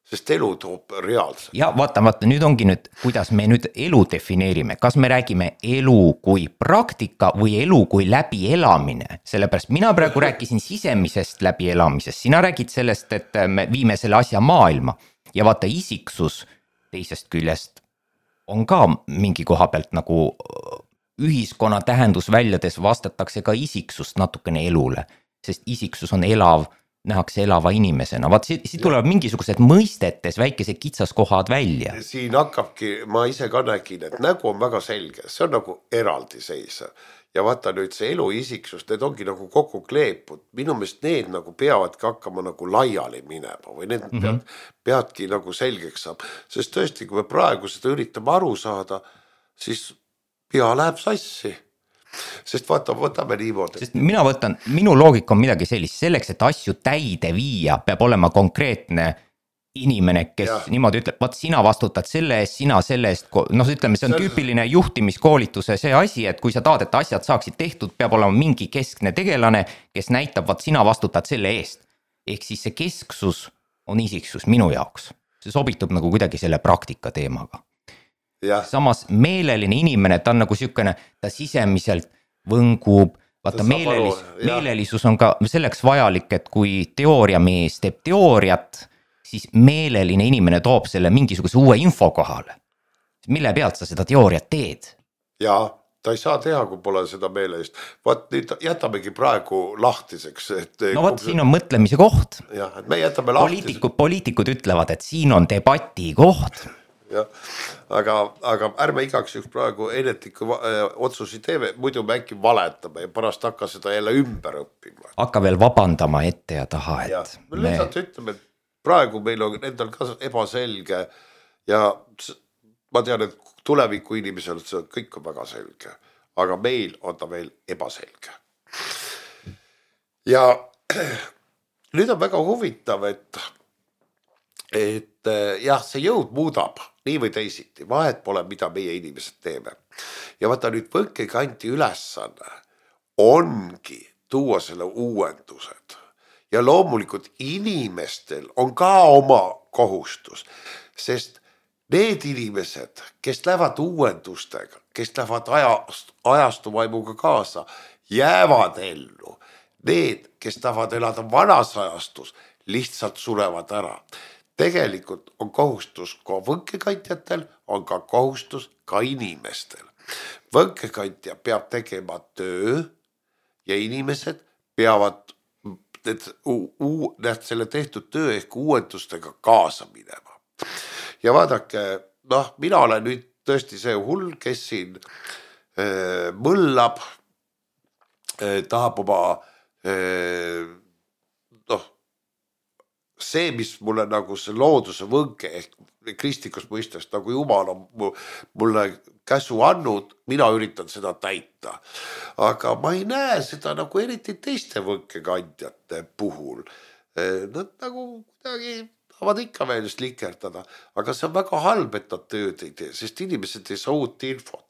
sest elu toob reaalselt. Ja vaata, nüüd ongi nüüd, kuidas me nüüd elu defineerime. Kas me räägime elu kui praktika või elu kui läbielamine? Sellepärast mina praegu rääkisin sisemisest läbielamisest. Sina räägid sellest, et me viime selle asja maailma. Ja vaata, isiksus teisest küljest on ka mingi koha pealt nagu ühiskonna tähendusväljades vastatakse ka isiksust natukene elule. Sest isiksus on elav, nähakse elava inimesena. Vaat siit tulevad mingisugused mõistetes väikesed kitsaskohad välja. Siin hakkabki, ma ise ka nägin, et nägu on väga selge, see on nagu eraldiseisev. Ja vaata nüüd see elu isiksus, need ongi nagu kokku kleepud. Minu meelest need nagu peavadki hakkama nagu laiali minema või need peadki nagu selgeks saab. Sest tõesti, kui me praegu seda üritame aru saada, siis pea läheb sassi. Sest vaata, võtame niimoodi. Sest minu loogika on midagi sellist, selleks, et asju täide viia, peab olema konkreetne inimene, kes niimoodi ütleb, vaat sina vastutad selle eest, sina selle eest, ütleme, see on tüüpiline juhtimiskoolituse see asi, et kui sa tahad, et asjad saaksid tehtud, peab olema mingi keskne tegelane, kes näitab, vaat sina vastutad selle eest. Ehk siis see kesksus on isiksus minu jaoks. See sobitub nagu kuidagi selle praktika teemaga. Ja. Samas meeleline inimene, ta on nagu sükene, ta sisemiselt võngub, vaata meelelisus on ka selleks vajalik, et kui teooriamees teeb teooriat, siis meeleline inimene toob selle mingisuguse uue info kohale. Mille pealt sa seda teooriat teed? Ja, ta ei saa teha, kui pole seda meelest. Vaat nüüd jätamegi praegu lahtiseks. No vaat siin on mõtlemise koht. Ja, et me jätame lahtiseks. Poliitikud ütlevad, et siin on debati koht. Ja, aga ärme igaks juks praegu enetliku otsusi teeme, muidu me äkki valetame ja pärast hakka seda jälle ümber õppima. Hakka veel vabandama ette ja taha, et... Ja, me lihtsalt ütleme, et praegu meil on endal ka ebaselge ja ma tean, et tuleviku inimesel see kõik on väga selge, aga meil on ta veel ebaselge. Ja nüüd on väga huvitav, et jah, see jõud muudab nii või teisiti, vahet pole, mida meie inimesed teeme. Ja vaata nüüd võnkekanti ülesanne ongi tuua selle uuendused. Ja loomulikult inimestel on ka oma kohustus, sest need inimesed, kes lähevad uuendustega, kes lähevad ajastuvaimuga kaasa, jäävad ellu. Need, kes tahavad elada vanas ajastus, lihtsalt surevad ära. Tegelikult on kohustus ka võnkekandjatel, on ka kohustus ka inimestel. Võnkekandja peab tegema töö ja inimesed peavad selle tehtud töö ehk uuendustega kaasa minema. Ja vaadake, mina olen nüüd tõesti see hull, kes siin mõllab, tahab oma see, mis mulle nagu see looduse võnke ehk kristlikus mõistes, nagu Jumal on mulle käsu andnud, mina üritan seda täita. Aga ma ei näe seda nagu eriti teiste võnkekandjate puhul. Nad nagu kuidagi tahavad ikka veel likerdada, aga see on väga halb, et nad tööd ei tee, sest inimesed ei saa uut infot.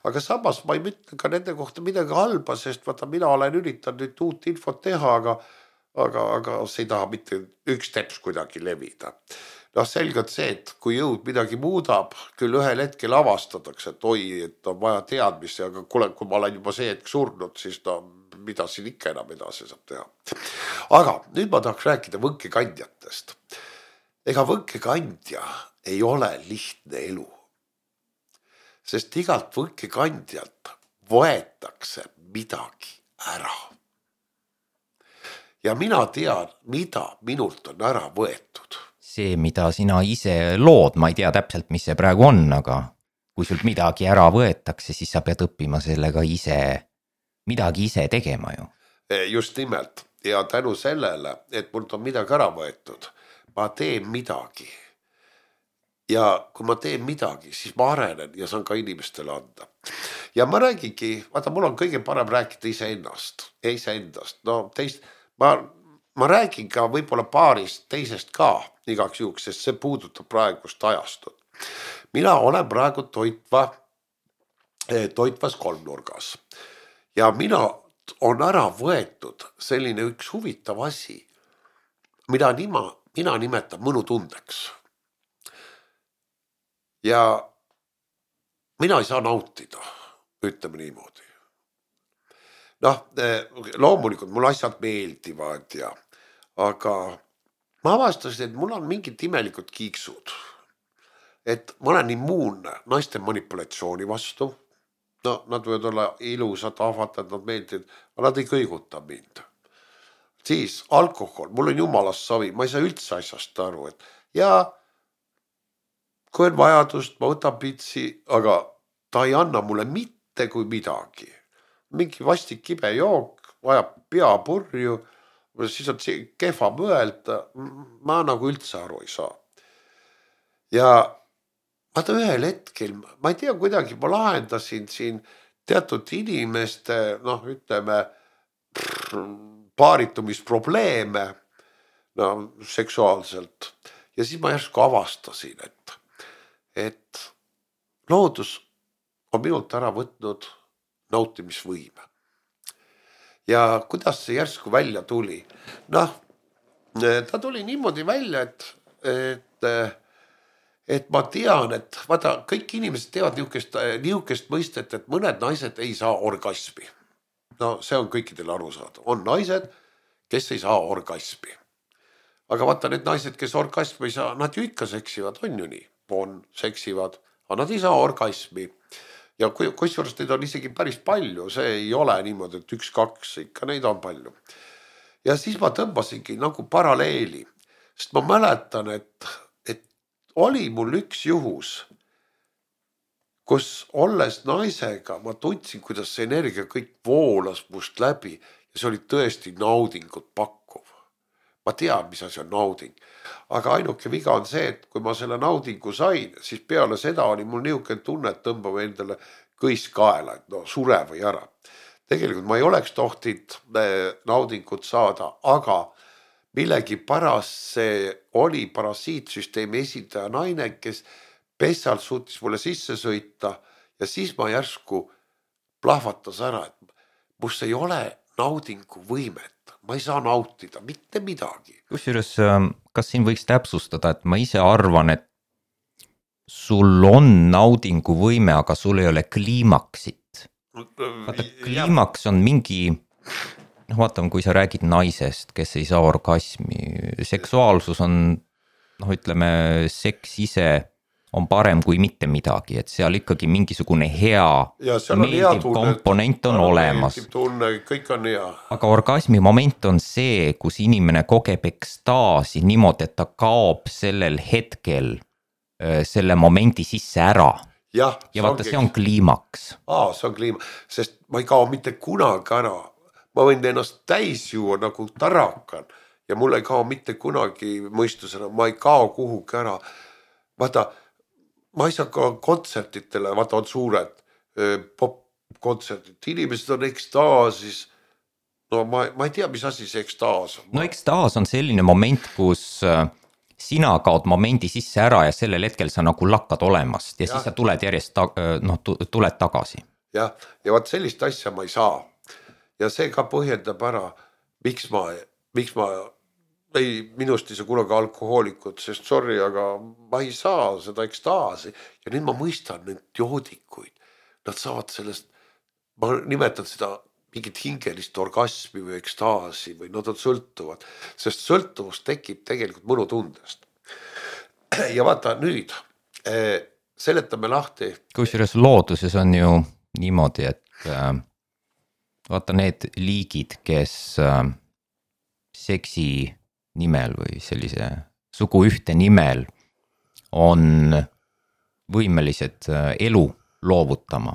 Aga samas ma ei mõtle ka nende kohta midagi halba, sest vaata, mina olen üritanud nüüd uut infot teha, aga see ei taha mitte üks teps kuidagi levida. Noh, selgelt see, et kui jõud midagi muudab, küll ühel hetkel avastatakse, et oi, et on vaja teadmisi, aga kuule, kui ma olen juba see hetk surnud, siis no, mida siin ikka enam edasi saab teha. Aga nüüd ma tahaks rääkida võnkekandjatest. Ega võnkekandja ei ole lihtne elu. Sest igalt võnkekandjalt võetakse midagi ära. Ja mina tean, mida minult on ära võetud. See, mida sina ise lood, ma ei tea täpselt, mis see praegu on, aga kui sult midagi ära võetakse, siis sa pead õppima sellega midagi ise tegema ju. Just nimelt. Ja tänu sellele, et mult on midagi ära võetud, ma teen midagi. Ja kui ma teen midagi, siis ma arenen ja saan ka inimestele anda. Ja ma räägingi, vaata, mul on kõige parem rääkida iseendast. No teist, ma räägin ka võib-olla paarist teisest ka igaks juhuks, sest see puudutab praegust ajastut. Mina olen praegu toitvas kolmnurgas. Ja mina on ära võetud selline üks huvitav asi, mida mina nimetan mõnutundeks. Ja mina ei saa nautida, ütleme niimoodi. Noh, loomulikult mul asjad meeldivad aga ma avastasin, et mul on mingid imelikud kiiksud. Et ma olen immuunne naiste manipulatsiooni vastu. No, nad võivad olla ilusad, ahvatad, nad meeldivad, aga nad ei kõiguta mind. Siis alkohol, mul on jumalast savi, ma ei saa üldse asjast aru, et kui on vajadust, ma võtan pitsi, aga ta ei anna mulle mitte kui midagi. Mingi vastik kibe jook, vajab peapurju, siis on kehva mõelda, ma nagu üldse aru ei saa. Ja vaata ühel hetkel, ma ei tea, kuidagi ma lahendasin siin teatud inimeste, ütleme, paaritumisprobleeme seksuaalselt. Ja siis ma järsku avastasin, et loodus on minult ära võtnud nautimisvõime. Ja kuidas see järsku välja tuli? Ta tuli niimoodi välja, et ma tean, et vaata, kõik inimesed teevad niukest mõistet, et mõned naised ei saa orgasmi. No see on kõikidel aru saada. On naised, kes ei saa orgasmi. Aga vaata, need naised, kes orgasmi ei saa, nad ju ikka seksivad, on ju nii. Seksivad, aga nad ei saa orgasmi. Ja kusjuures neid on isegi päris palju, see ei ole niimoodi, et 1-2, ikka neid on palju. Ja siis ma tõmbasingi nagu paralleeli, sest ma mäletan, et oli mul üks juhus, kus olles naisega, ma tundsin, kuidas see energia kõik voolas must läbi ja see oli tõesti naudingut pakkuv. Ma tean, mis asi on nauding, aga ainuke viga on see, et kui ma selle naudingu sain, siis peale seda oli mul niisugune tunne, et tõmbame endale kõis kaela, et sure või ära. Tegelikult ma ei oleks tohtinud naudingut saada, aga millegi pärast see oli parasiitsüsteemi esindaja naine, kes pessalt suutis mulle sisse sõita ja siis ma järsku plahvatas ära, et must ei ole naudingu võimet. Ma ei saa nautida mitte midagi. Kusjuures, kas siin võiks täpsustada, et ma ise arvan, et sul on naudingu võime, aga sul ei ole kliimaksit. Vaata, kliimaks on mingi, vaatame, kui sa räägid naisest, kes ei saa orgasmi, seksuaalsus on, ütleme, seks ise on parem kui mitte midagi, et seal ikkagi mingisugune hea meeldiv komponent on olemas. Kõik on hea. Aga orgasmi moment on see, kus inimene kogeb ekstaasi niimoodi, et ta kaob sellel hetkel selle momendi sisse ära. Ja vaata, see on kliimaks. See on kliimaks, sest ma ei kao mitte kunagi ära. Ma võin ennast täis juua nagu tarakan ja mul ei kao mitte kunagi mõistusena, ma ei kao kuhugi ära. Vaata, ma ei saa ka kontsertitele, vaata on suured popkontserdid, inimesed on ekstaasis. No ma ei tea, mis asi see ekstaas on. No ekstaas on selline moment, kus sina kaod momendi sisse ära ja sellel hetkel sa nagu lakkad olemast ja siis sa tuled järjest, tuled tagasi. Ja vaat sellist asja ma ei saa. Ja see ka põhjendab ära, miks ma minust ei saa kunagi alkohoolikut, sest sorry, aga ma ei saa seda ekstaasi. Ja nüüd ma mõistan need joodikuid. Nad saavad sellest, ma nimetan seda mingit hingelist orgasmi või ekstaasi või nad on sõltuvad, sest sõltuvus tekib tegelikult mõnutundest. Ja vaata nüüd, seletame lahti. Kusjuures looduses on ju niimoodi, et vaata need liigid, kes seksi nimel või sellise suguühte nimel on võimelised elu loovutama.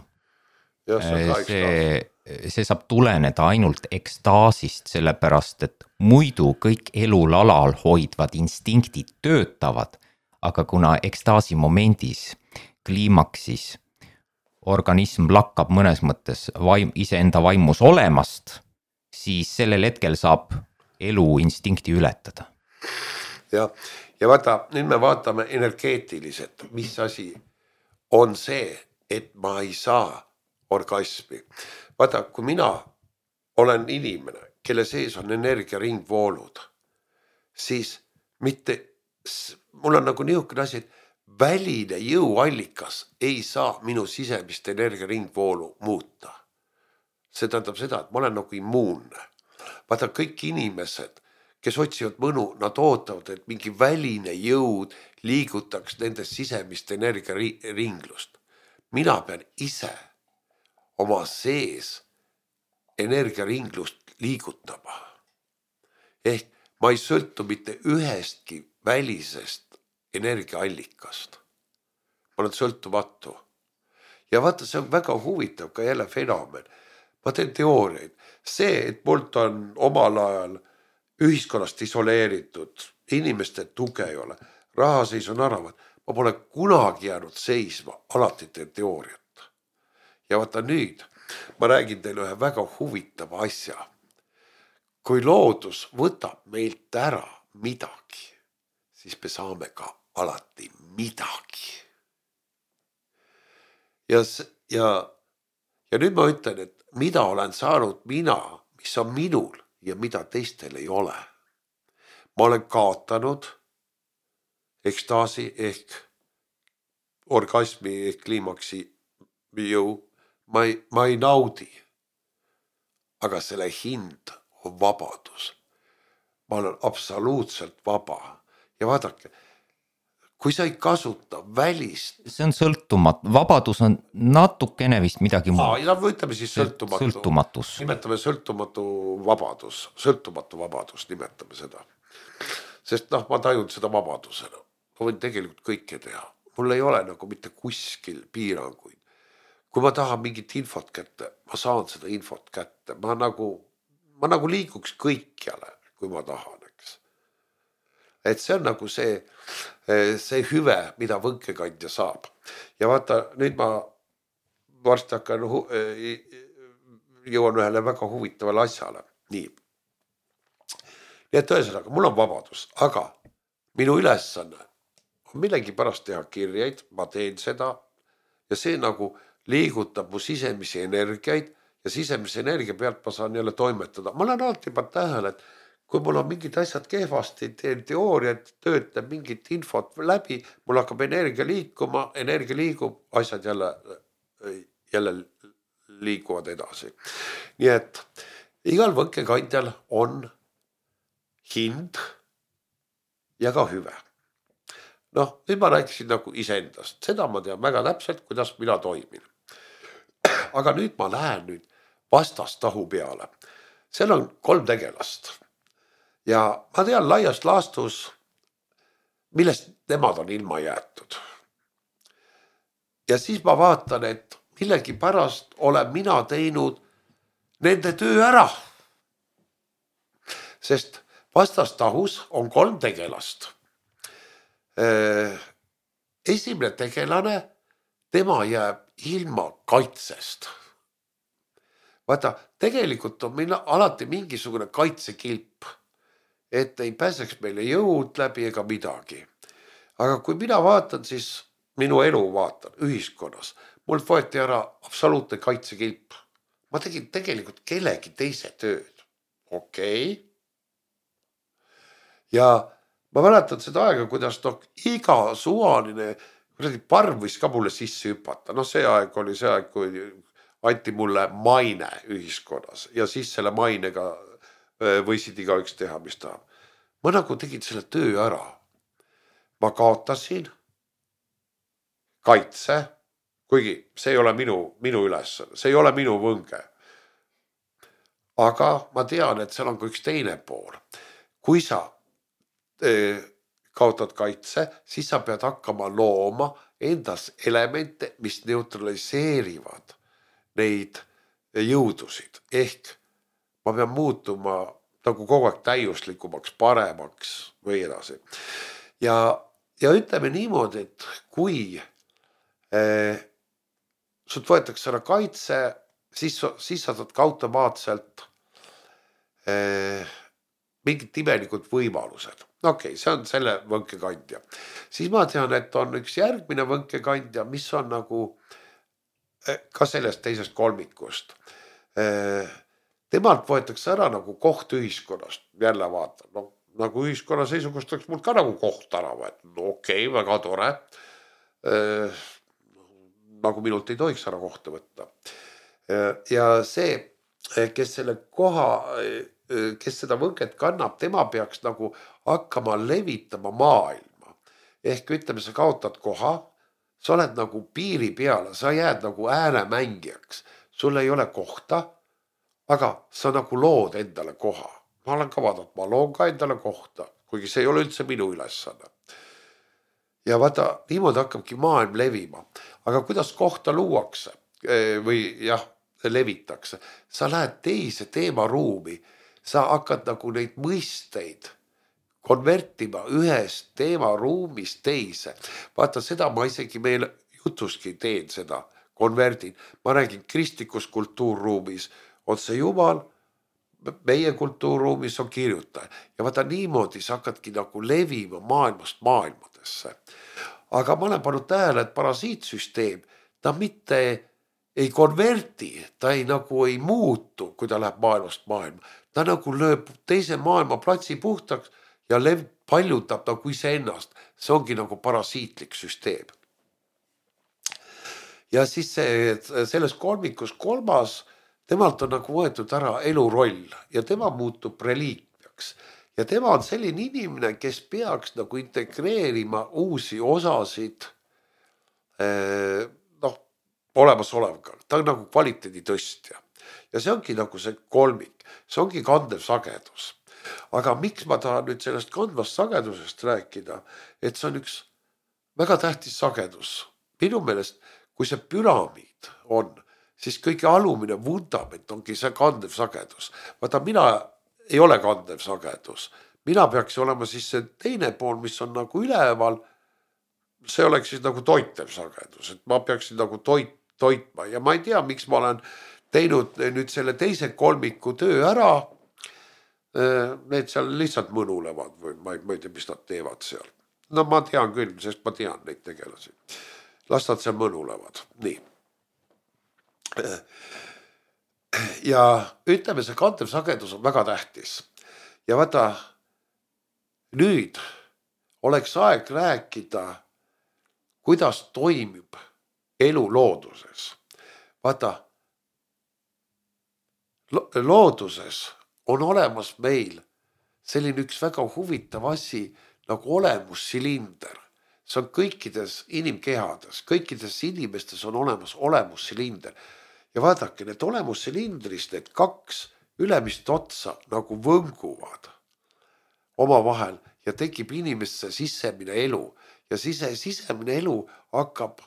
Ja, see saab tuleneda ainult ekstaasist, sellepärast, et muidu kõik elul alal hoidvad instinktid töötavad, aga kuna ekstaasi momendis, kliimaksis, organism lakkab mõnes mõttes iseenda vaimus olemast, siis sellel hetkel saab elu instinkti ületada. Ja vaata, nüüd me vaatame energeetiliselt, mis asi on see, et ma ei saa orgasmi. Vaata, kui mina olen inimene, kelle sees on energiaringvoolud, siis mitte, mul on nagu niisugune asi, et väline jõuallikas ei saa minu sisemist energiaringvoolu muuta. See tähendab seda, et ma olen nagu immuunne. Vaata, kõik inimesed, kes otsivad mõnu, nad ootavad, et mingi väline jõud liigutaks nende sisemist energiaringlust. Mina pean ise oma sees energiaringlust liigutama. Ehk ma ei sõltu mitte ühestki välisest energiaallikast. Ma olen sõltumatu. Ja vaata, see on väga huvitav ka jälle fenomen. Ma teen teooriaid. See, et mult on omal ajal ühiskonnast isoleeritud, inimeste tuge ei ole, rahaseis on aravad, ma pole kunagi jäänud seisma, alati teen teooriat. Ja vaata nüüd, ma räägin teile ühe väga huvitava asja. Kui loodus võtab meilt ära midagi, siis me saame ka alati midagi. Ja nüüd ma ütlen, et mida olen saanud mina, mis on minul ja mida teistel ei ole. Ma olen kaotanud ekstaasi ehk orgasmi ehk kliimaksi jõu. Ma ei naudi, aga selle hind on vabadus. Ma olen absoluutselt vaba. Ja vaadake, kui sa ei kasuta välist... See on sõltumatu. Vabadus on natukene vist midagi muud. Ja võtame siis sõltumatus. Nimetame sõltumatu vabadus, nimetame seda. Sest ma tajun seda vabadusena. Ma võin tegelikult kõike teha. Mul ei ole nagu mitte kuskil piiranguid. Kui ma tahan mingit infot kätte, ma saan seda infot kätte. Ma nagu liiguks kõikjale, kui ma tahan, eks. Et see on nagu see hüve, mida võnkekandja saab. Ja vaata, nüüd ma varsti hakkan jõuan ühele väga huvitavale asjale. Nii et tõesõnaga, mul on vabadus, aga minu ülesanne on millegi pärast teha kirjaid, ma teen seda ja see nagu liigutab mu sisemisi energiaid ja sisemisi energia pealt ma saan jälle toimetada. Ma olen alati juba tähele, et kui mul on mingid asjad kehvasti, teen teooriat, töötab mingit infot läbi, mul hakkab energia liikuma, energia liigub, asjad jälle liiguvad edasi. Nii et igal võnkekandjal on hind ja ka hüve. Nüüd ma rääkisin nagu iseendast. Seda ma tean väga täpselt, kuidas mina toimin. Aga nüüd ma lähen vastastahu peale. Seal on 3 tegelast. Ja ma tean laiast laastus, millest nemad on ilma jäetud. Ja siis ma vaatan, et millegi pärast olen mina teinud nende töö ära. Sest vastastahus on 3 tegelast. esimene tegelane, tema jääb ilma kaitsest. Vaata, tegelikult on meil alati mingisugune kaitsekilp, et ei pääseks meile jõud läbi ega midagi. Aga kui mina vaatan, siis minu elu vaatan ühiskonnas, mult võeti ära absoluutne kaitsekilp. Ma tegin tegelikult kellegi teise tööd. Okei. Ja ma mäletan seda aega, kuidas iga suvaline parv võis ka mulle sisse hüpata. See aeg oli see aeg, kui anti mulle maine ühiskonnas ja siis selle mainega võisid igaüks teha, mis tahab. Ma nagu tegin selle töö ära. Ma kaotasin kaitse, kuigi see ei ole minu ülesanne, see ei ole minu võnge. Aga ma tean, et seal on ka üks teine pool. Kui sa kaotad kaitse, siis sa pead hakkama looma endas elemente, mis neutraliseerivad neid jõudusid. Ehk ma pean muutuma nagu kogu aeg täiuslikumaks, paremaks või edasi. Ja ütleme niimoodi, et kui sult võetakse ära kaitse, siis sa saad ka automaatselt mingid imelikud võimalused. Okei, see on selle võnkekandja. Siis ma tean, et on üks järgmine võnkekandja, mis on nagu ka sellest teisest kolmikust. Temalt võetakse ära nagu koht ühiskonnast. Jälle vaatan, nagu ühiskonna seisukust oleks mul ka nagu koht ära võetud. Okei, väga tore. Nagu minult ei tohiks ära kohta võtta. Ja see, kes selle koha, kes seda võnket kannab, tema peaks nagu hakkama levitama maailma. Ehk ütleme, sa kaotad koha, sa oled nagu piiri peale, sa jääd nagu ääremängijaks. Sul ei ole kohta, aga sa nagu lood endale koha. Ma olen ka vaadanud, ma loon ka endale kohta, kuigi see ei ole üldse minu ülesanne. Ja vaata, niimoodi hakkabki maailm levima. Aga kuidas kohta luuakse või levitakse? Sa lähed teise teemaruumi, sa hakkad nagu neid mõisteid konvertima ühest teemaruumist teise. Vaata, seda ma isegi meil jutuski teen seda, konverdin. Ma räägin kristlikus kultuurruumis on see Jumal, meie kultuurruumis on kirjutaja. Ja vaata, niimoodi sa hakkadki nagu levima maailmast maailmadesse. Aga ma olen pannud tähele, et parasiitsüsteem, ta mitte ei konverti, ta ei muutu, kui ta läheb maailmast maailma. Ta nagu lööb teise maailma platsi puhtaks ja paljutab nagu iseennast. See ongi nagu parasiitlik süsteem. Ja siis selles kolmikus kolmas, temalt on nagu võetud ära eluroll ja tema muutub reliikviaks. Ja tema on selline inimene, kes peaks nagu integreerima uusi osasid olemasolevga. Ta on nagu kvaliteedi tõstja. Ja see ongi nagu see kolmik. See ongi kandev sagedus. Aga miks ma tahan nüüd sellest kandvast sagedusest rääkida, et see on üks väga tähtis sagedus. Minu meelest, kui see püramiid on, siis kõige alumine vundament ongi see kandev sagedus. Vaata, mina ei ole kandev sagedus. Mina peaks olema siis see teine pool, mis on nagu üleval. See oleks siis nagu toitev sagedus, et ma peaksin nagu toitma. Ja ma ei tea, miks ma olen teinud nüüd selle teise kolmiku töö ära. Need seal lihtsalt mõnulevad või ma ei tea, mis nad teevad seal. No ma tean küll, sest ma tean neid tegelasi. Las nad seal mõnulevad. Nii. Ja ütleme, see kandev sagedus on väga tähtis. Ja vaata, nüüd oleks aeg rääkida, kuidas toimib elu looduses. Vaata, looduses on olemas meil selline üks väga huvitav asi nagu olemussilinder. See on kõikides inimkehades, kõikides inimestes on olemas olemussilinder. Ja vaadake, need olemussilindrist, need kaks ülemist otsa nagu võnguvad omavahel ja tekib inimesse sisemine elu. Ja sisemine elu hakkab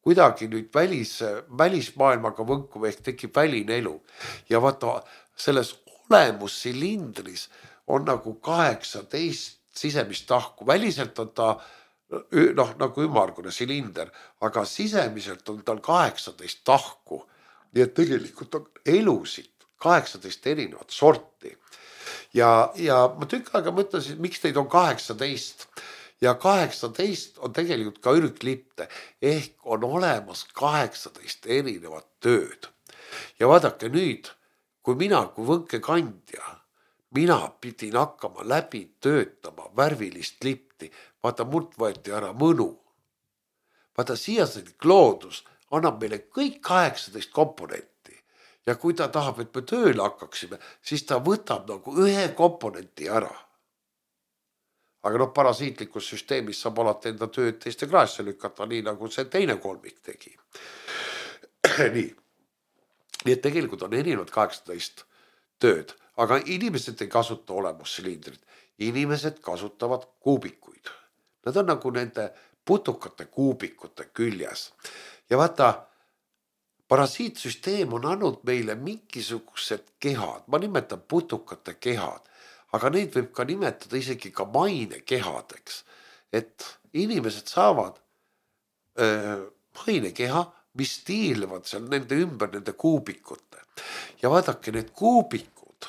kuidagi nüüd välismaailmaga võnkuma ehk tekib väline elu. Ja vaata, selles olemussilindris on nagu 18 sisemist tahku. Väliselt on ta noh, nagu ümmargune silinder, aga sisemiselt on tal 18 tahku. Nii et tegelikult on elusid 18 erinevat sorti. Ja ma tükk aega mõtlesin, miks neid on 18 ja 18 on tegelikult ka ürglipte ehk on olemas 18 erinevat tööd. Ja vaadake nüüd, kui mina kui võnkekandja, mina pidin hakkama läbi töötama värvilist lipti, vaata mult võeti ära mõnu. Vaata siiasõnik loodus annab meile kõik 18 komponenti. Ja kui ta tahab, et me tööle hakkaksime, siis ta võtab nagu ühe komponenti ära. Aga noh, parasiitlikus süsteemis saab alati enda tööd teiste kraesse lükata, nii nagu see teine kolmik tegi. Nii et tegelikult on erinevad 18 tööd, aga inimesed ei kasuta olemussilindrit. Inimesed kasutavad kuubikuid. Nad on nagu nende putukate kuubikute küljes. Ja vaata, parasiitsüsteem on andnud meile mingisugused kehad, ma nimetan putukate kehad, aga neid võib ka nimetada isegi ka mainekehadeks, et inimesed saavad mainekeha, mis tiirlevad seal nende ümber nende kuubikute. Ja vaadake, need kuubikud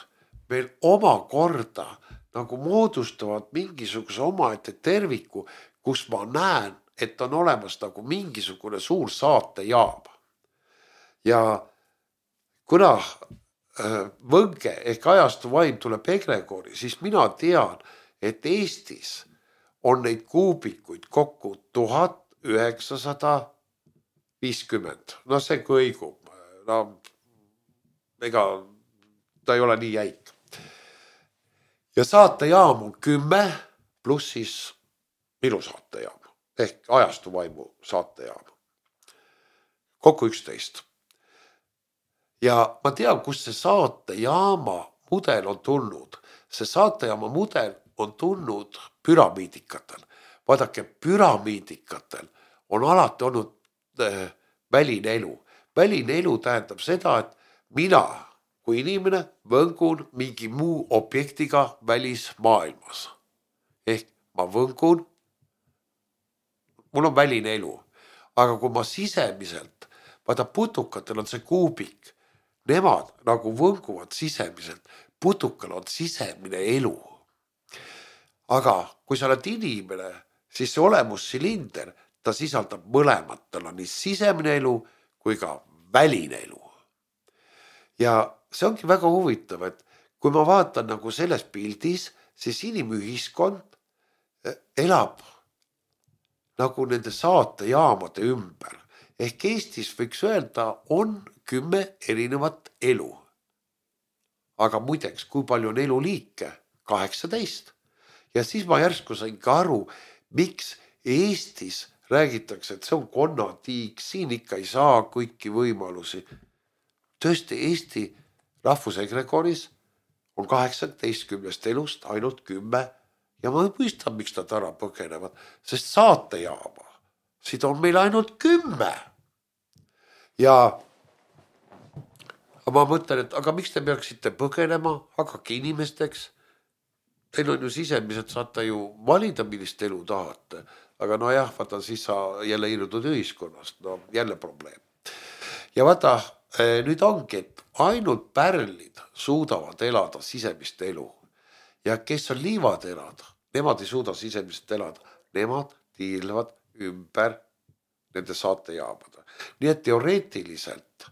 meil omakorda nagu moodustavad mingisuguse omaette terviku, kus ma näen, et on olemas nagu mingisugune suur saatejaam. Ja kuna võnke ehk ajastu vaim tuleb egregori, siis mina tean, et Eestis on neid kuubikuid kokku 1950. No see kõigub. No, ega ta ei ole nii jäik. Ja saatejaam on 10 pluss siis minu saatejaam ehk ajastu vaimu saatejaam. Kokku 11. Ja ma tean, kus see saatejaama mudel on tulnud. See saatejaama mudel on tulnud püramiidikatel. Vaadake, püramiidikatel on alati olnud väline elu. Väline elu tähendab seda, et mina kui inimene võngun mingi muu objektiga välismaailmas. Ehk ma võngun, mul on väline elu. Aga kui ma sisemiselt, vaata putukatel on see kuubik, nemad nagu võnguvad sisemiselt, putukal on sisemine elu. Aga kui sa oled inimene, siis see olemussilinder, ta sisaldab mõlemat, tal on nii sisemine elu kui ka väline elu. Ja see ongi väga huvitav, et kui ma vaatan nagu selles pildis, siis inimühiskond elab nagu nende saatejaamade ümber. Ehk Eestis võiks öelda, on 10 erinevat elu. Aga muideks, kui palju on eluliike? 18. Ja siis ma järsku sain ka aru, miks Eestis räägitakse, et see on konnatiik, siin ikka ei saa kõiki võimalusi. Tõesti, Eesti rahvusegregoris on 18 elust ainult 10 ja ma mõistan, miks nad ära põgenevad, sest saatejaama, siit on meil ainult 10. Ja ma mõtlen, et aga miks te peaksite põgenema, hakake inimesteks? Teil on ju sisemiselt, saate ju valida, millist elu tahate. Aga no jah, vaata, siis sa jälle irudud ühiskonnast, no jälle probleem. Ja vaata, nüüd ongi, et ainult pärlid suudavad elada sisemist elu. Ja kes on liivaterad, nemad ei suuda sisemist elada. Nemad tiirlevad ümber nende saatejaamada. Nii et teoreetiliselt,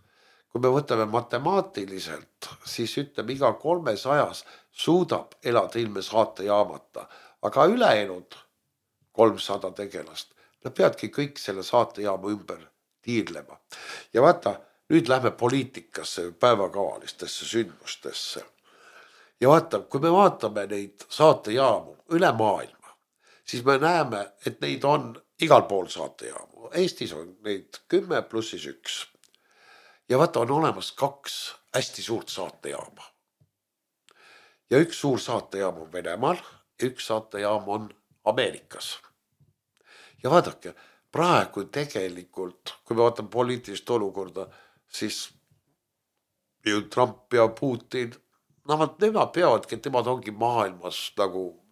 kui me võtame matemaatiliselt, siis ütleme, iga 300 suudab elada ilme saatejaamata. Aga ülejäänud 300 tegelast, nad peadki kõik selle saatejaama ümber tiirlema. Ja vaata, nüüd lähme poliitikasse, päevakavalistesse sündmustesse. Ja vaata, kui me vaatame neid saatejaamu üle maailma, siis me näeme, et neid on igal pool saatejaamu. Eestis on neid 10 pluss 1. Ja vaata, on olemas 2 hästi suurt saatejaama. Ja üks suur saatejaam on Venemaal, üks saatejaam on Ameerikas. Ja vaadake, praegu tegelikult, kui me vaatame poliitilist olukorda, siis Trump ja Putin, nemad peavadki, et nemad ongi maailmas nagu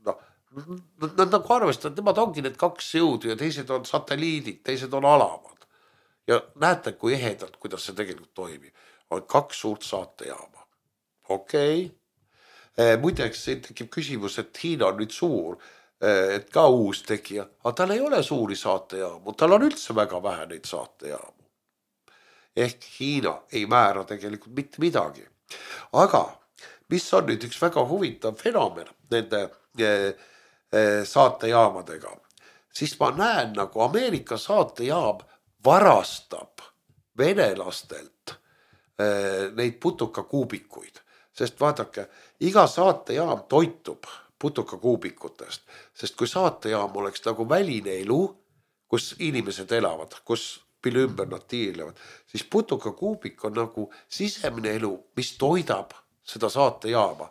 Nad nagu arvestavad, nemad ongi need kaks jõudu ja teised on satelliidid, teised on alamad. Ja näete, kui ehedalt, kuidas see tegelikult toimib. On kaks suurt saatejaama. Okei. Muideks siin tekib küsimus, et Hiina on nüüd suur, et ka uus tegija, aga tal ei ole suuri saatejaamu, tal on üldse väga vähe neid saatejaamu. Ehk Hiina ei määra tegelikult mitte midagi. Aga mis on nüüd üks väga huvitav fenomen nende saatejaamadega, siis ma näen nagu Ameerika saatejaam varastab venelastelt neid putukakuubikuid. Sest vaadake, iga saatejaam toitub putukakuubikutest, sest kui saatejaam oleks nagu väline elu, kus inimesed elavad, kus mille ümber nad tiirlevad, siis putukakuubik on nagu sisemine elu, mis toidab seda saatejaama.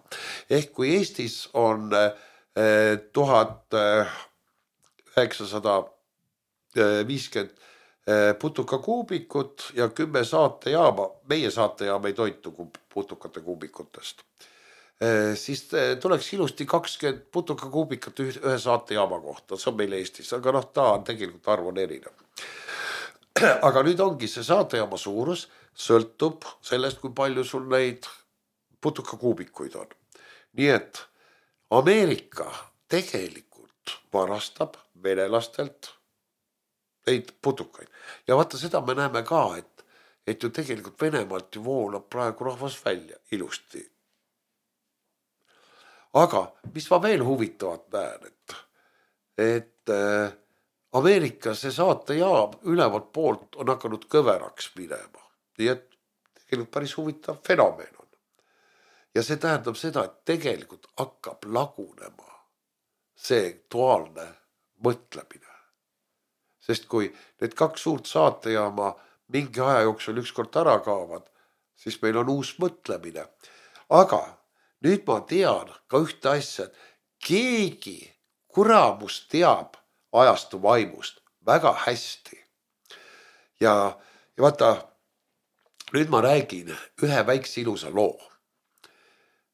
Ehk kui Eestis on 1950 putukakuubikut ja 10 saatejaama, meie saatejaam ei toitu putukate kuubikutest, siis tuleks ilusti 20 putukakuubikat ühe saatejaama kohta, see on meil Eestis, aga ta on tegelikult arv on erinev. Aga nüüd ongi see saatejaama suurus, sõltub sellest, kui palju sul neid putukakuubikuid on. Nii et Ameerika tegelikult varastab venelastelt neid putukaid. Ja vaata seda me näeme ka, et ju tegelikult Venemaalt ju voolab praegu rahvas välja ilusti. Aga mis ma veel huvitavat näen, et Ameerika see saatejaam ülevalt poolt on hakanud kõveraks minema. Nii et tegelikult päris huvitav fenomen on. Ja see tähendab seda, et tegelikult hakkab lagunema see duaalne mõtlemine. Sest kui need kaks suurt saatejaama mingi aja jooksul ükskord ära kaovad, siis meil on uus mõtlemine. Aga nüüd ma tean ka ühte asja, et keegi kuramus teab ajastu vaimust väga hästi. Ja vaata, nüüd ma räägin ühe väikse ilusa loo,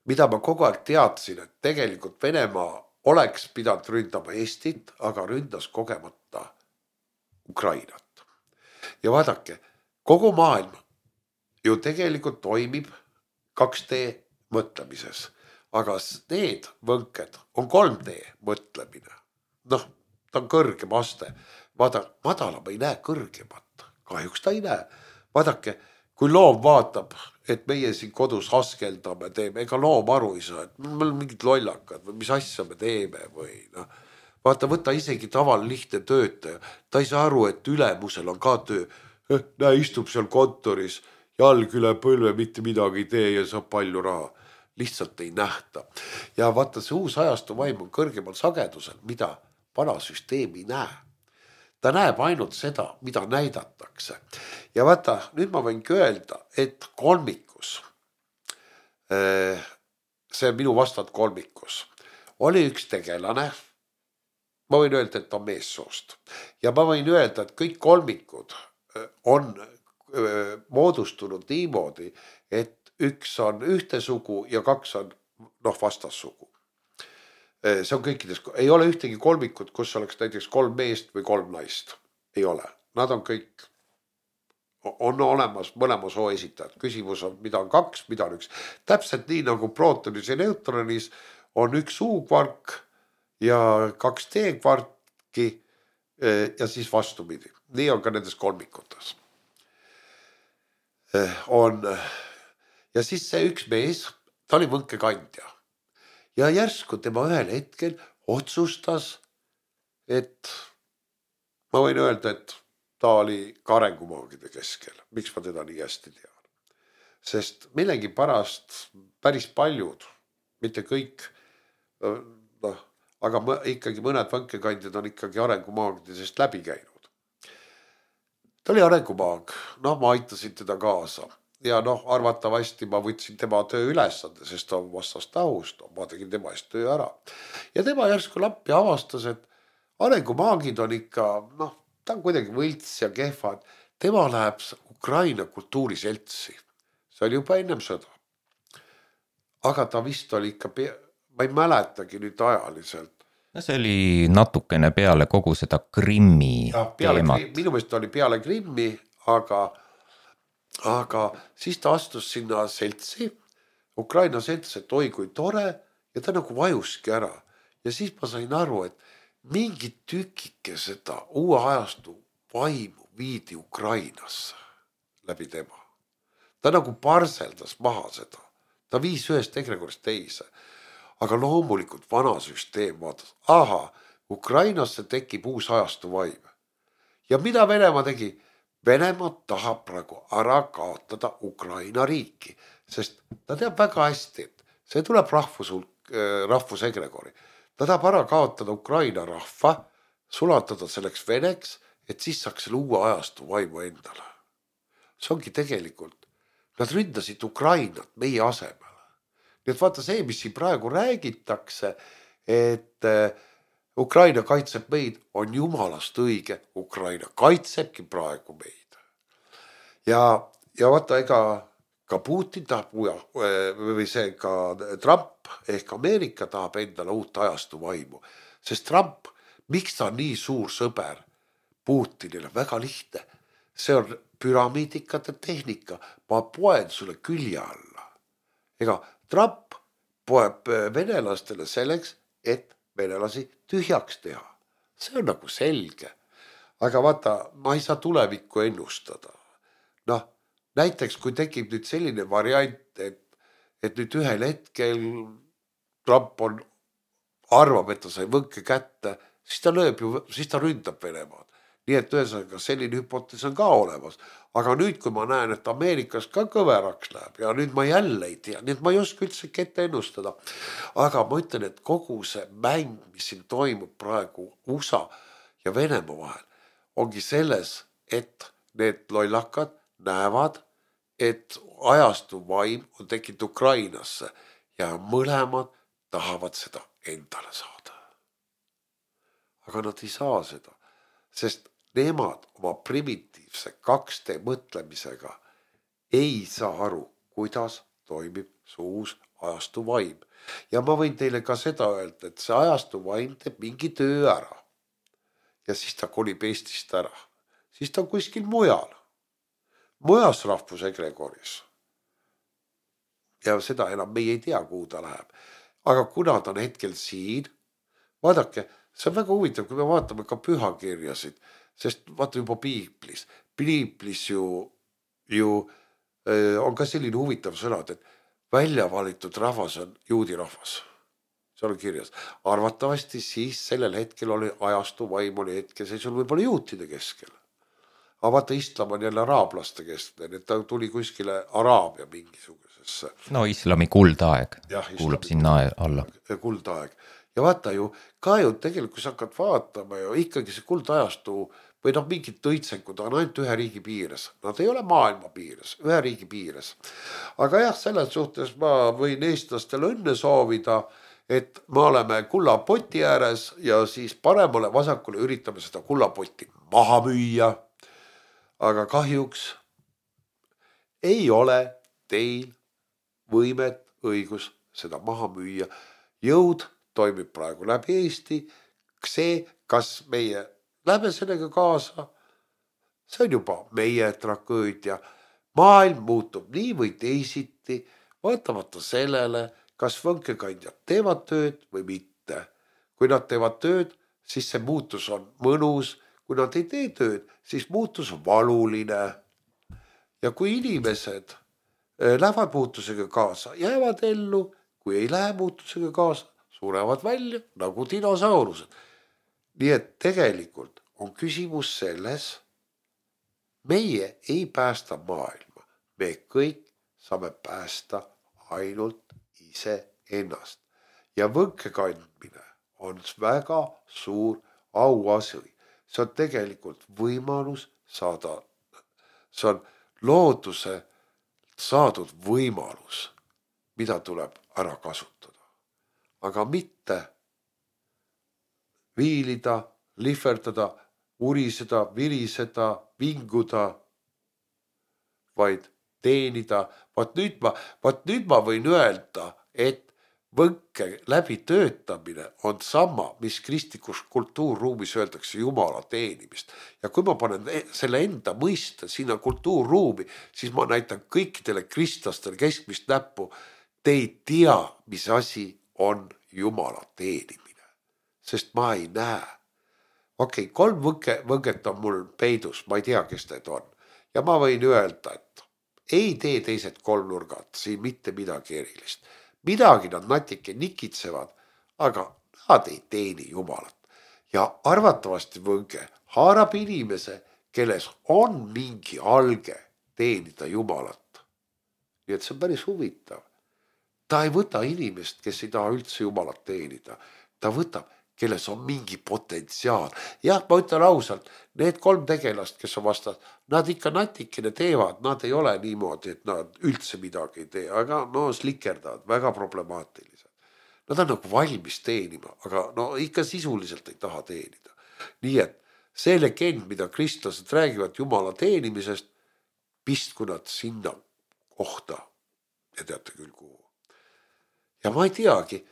mida ma kogu aeg teadsin, et tegelikult Venemaa oleks pidanud ründama Eestit, aga ründas kogemata Ukrainat. Ja vaadake, kogu maailm ju tegelikult toimib 2D mõtlemises, aga need võnked on 3D mõtlemine. Noh, ta on kõrgem aste. Vaata, madalam ei näe kõrgemat. Kahjuks ta ei näe. Vaadake, kui loom vaatab, et meie siin kodus askeldame, teeme, ega loom aru ei saa, et meil on mingid lollakad või mis asja me teeme või noh. Vaata, võta isegi taval lihtne töötaja. Ta ei saa aru, et ülemusel on ka töö. Näe, istub seal kontoris, jalg üle põlve, mitte midagi ei tee ja saab palju raha. Lihtsalt ei nähta. Ja vaata, see uus ajastu vaim on kõrgemal sagedusel, mida vana süsteem ei näe. Ta näeb ainult seda, mida näidatakse. Ja vaata, nüüd ma võingi öelda, et kolmikus, see on minu vastand kolmikus, oli üks tegelane. Ma võin öelda, et on meessoost. Ja ma võin öelda, et kõik kolmikud on moodustunud niimoodi, et üks on ühte sugu ja kaks on vastassugu. See on kõikides, ei ole ühtegi kolmikut, kus oleks näiteks 3 meest või 3 naist. Ei ole. Nad on kõik, on olemas mõlema soo esitajad. Küsimus on, mida on 2, mida on 1. Täpselt nii nagu prootonis ja neutronis on 1 U-kvark ja 2 D-kvarki ja siis vastupidi. Nii on ka nendes kolmikutes. Ja siis see üks mees, ta oli võnkekandja. Ja järsku tema ühel hetkel otsustas, et ma võin öelda, et ta oli ka arengumaagide keskel. Miks ma teda nii hästi tean? Sest millegi pärast päris paljud, mitte kõik, aga ikkagi mõned võnkekandjad on ikkagi arengumaagidest läbi käinud. Ta oli arengumaag, ma aitasin teda kaasa. Ja arvatavasti ma võtsin tema töö ülesande, sest ta on vastast tahust, ma tegin tema eest töö ära. Ja tema järsku lappi avastas, et arengumaagid on ikka, ta on kuidagi võlts ja kehva. Tema läheb Ukraina kultuuriseltsi. See oli juba ennem sõda. Aga ta vist oli ikka, ma ei mäletagi nüüd ajaliselt, no see oli natukene peale kogu seda Krimmi teemat. Minu meelest oli peale Krimmi, aga siis ta astus sinna seltsi, Ukraina selts, et oi kui tore ja ta nagu vajuski ära. Ja siis ma sain aru, et mingi tükike seda uue ajastu vaimu viidi Ukrainasse läbi tema. Ta nagu parseldas maha seda. Ta viis ühest egregorist teise. Aga loomulikult vana süsteem vaatas, Ukrainasse tekib uus ajastu vaim. Ja mida Venemaa tegi? Venemaa tahab praegu ära kaotada Ukraina riiki, sest ta teab väga hästi, et see tuleb rahvusegregori. Ta tahab ära kaotada Ukraina rahva, sulatada selleks veneks, et siis saaks selle uue ajastu vaimu endale. See ongi tegelikult, nad ründasid Ukrainat meie asemel. Nii et vaata see, mis siin praegu räägitakse, et Ukraina kaitseb meid, on jumalast õige. Ukraina kaitsebki praegu meid. Ja vaata, ega ka Putin tahab või see ka Trump ehk Ameerika tahab endale uut ajastu vaimu. Sest Trump, miks ta on nii suur sõber Putinile? Väga lihtne. See on püramiidikate tehnika. Ma poen sulle külje alla. Ega Trump poeb venelastele selleks, et venelasi tühjaks teha. See on nagu selge. Aga vaata, ma ei saa tulevikku ennustada. Noh, näiteks kui tekib nüüd selline variant, et nüüd ühel hetkel Trump arvab, et ta sai võnke kätte, siis ta ründab Venemaad. Nii et ühesõnaga selline hüpotees on ka olemas. Aga nüüd, kui ma näen, et Ameerikas ka kõveraks läheb ja nüüd ma jälle ei tea, nii et ma ei oska üldse ette ennustada. Aga ma ütlen, et kogu see mäng, mis siin toimub praegu USA ja Venemaa vahel, ongi selles, et need lollakad näevad, et ajastu vaim on tekkinud Ukrainasse ja mõlemad tahavad seda endale saada. Aga nad ei saa seda, sest nemad oma primitiivse 2D mõtlemisega ei saa aru, kuidas toimib see uus ajastu vaim. Ja ma võin teile ka seda öelda, et see ajastu vaim teeb mingi töö ära. Ja siis ta kolib Eestist ära. Siis ta on kuskil mujal. Mujas rahvusegregoris. Ja seda enam meie ei tea, kuhu ta läheb. Aga kuna ta on hetkel siin, vaadake, see on väga huvitav, kui me vaatame ka pühakirjasid, sest vaata juba Piiblis ju on ka selline huvitav sõnad, et välja valitud rahvas on juudi rahvas. See on kirjas. Arvatavasti siis sellel hetkel oli ajastu vaim oli hetkeseisul võib-olla juutide keskel. Aga vaata, islam on jälle araablaste keskel, et ta tuli kuskile Araabia mingisugusesse. No islami kuldaeg kuulub sinna alla. Kuldaeg. Ja vaata ju, ka ju tegelikult, kui sa hakkad vaatama ju ikkagi see kuldajastu või mingid õitsenkud on ainult ühe riigi piires. Nad ei ole maailma piires, ühe riigi piires. Aga jah, selles suhtes ma võin eestlastele õnne soovida, et me oleme kullapoti ääres ja siis paremale vasakule üritame seda kullapoti maha müüa. Aga kahjuks ei ole teil võimet, õigus seda maha müüa. Jõud toimib praegu läbi Eesti. See, kas meie lähme sellega kaasa, see on juba meie tragöödia. Maailm muutub nii või teisiti, vaatamata sellele, kas võnkekandjad teevad tööd või mitte. Kui nad teevad tööd, siis see muutus on mõnus. Kui nad ei tee tööd, siis muutus on valuline. Ja kui inimesed lähevad muutusega kaasa, jäävad ellu, kui ei lähe muutusega kaasa, surevad välja nagu dinosaurused. Nii et tegelikult on küsimus selles, meie ei päästa maailma. Me kõik saame päästa ainult ise ennast. Ja võnke kandmine on väga suur auasi. See on tegelikult võimalus saada, see on looduse saadud võimalus, mida tuleb ära kasutada. Aga mitte viilida, lihverdada, uriseda, viriseda, vinguda, vaid teenida. Vaat nüüd ma võin öelda, et võnke läbi töötamine on sama, mis kristlikus kultuurruumis öeldakse Jumala teenimist. Ja kui ma panen selle enda mõiste sinna kultuurruumi, siis ma näitan kõikidele kristlastele keskmist näppu. Te ei tea, mis asi on Jumala teenimine, sest ma ei näe. Okei, 3 võnget on mul peidus, ma ei tea, kes need on. Ja ma võin öelda, et ei tee teised 3 nurgad, siin mitte midagi erilist. Midagi nad natuke nikitsevad, aga nad ei teeni Jumalat. Ja arvatavasti võnge haarab inimese, kelles on mingi alge teenida Jumalat. Nii et see on päris huvitav. Ta ei võta inimest, kes ei taha üldse Jumalat teenida. Ta võtab, kelles on mingi potentsiaal. Jah, ma ütlen ausalt, need 3 tegelast, kes on vastas, nad ikka natikene teevad, nad ei ole niimoodi, et nad üldse midagi ei tee, aga no slikerdavad, väga problemaatilised. Nad on nagu valmis teenima, aga no ikka sisuliselt ei taha teenida. Nii et see legend, mida kristlased räägivad Jumala teenimisest, pistku nad sinna kohta ja teate küll kuhu. Ja ma ei teagi.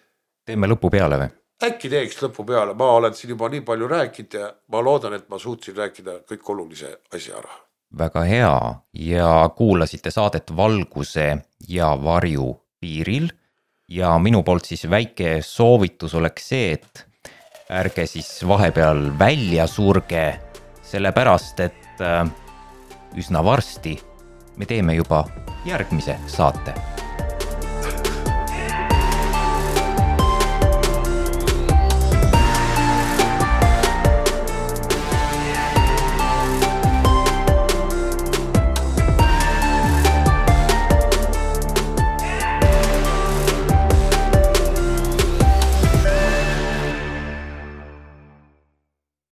Teeme lõpu peale või? Äkki teeks lõpu peale, ma olen siin juba nii palju rääkinud ja ma loodan, et ma suutsin rääkida kõik olulise asja ära. Väga hea ja kuulasite saadet Valguse ja varju piiril ja minu poolt siis väike soovitus oleks see, et ärge siis vahepeal välja surge, sellepärast et üsna varsti me teeme juba järgmise saate.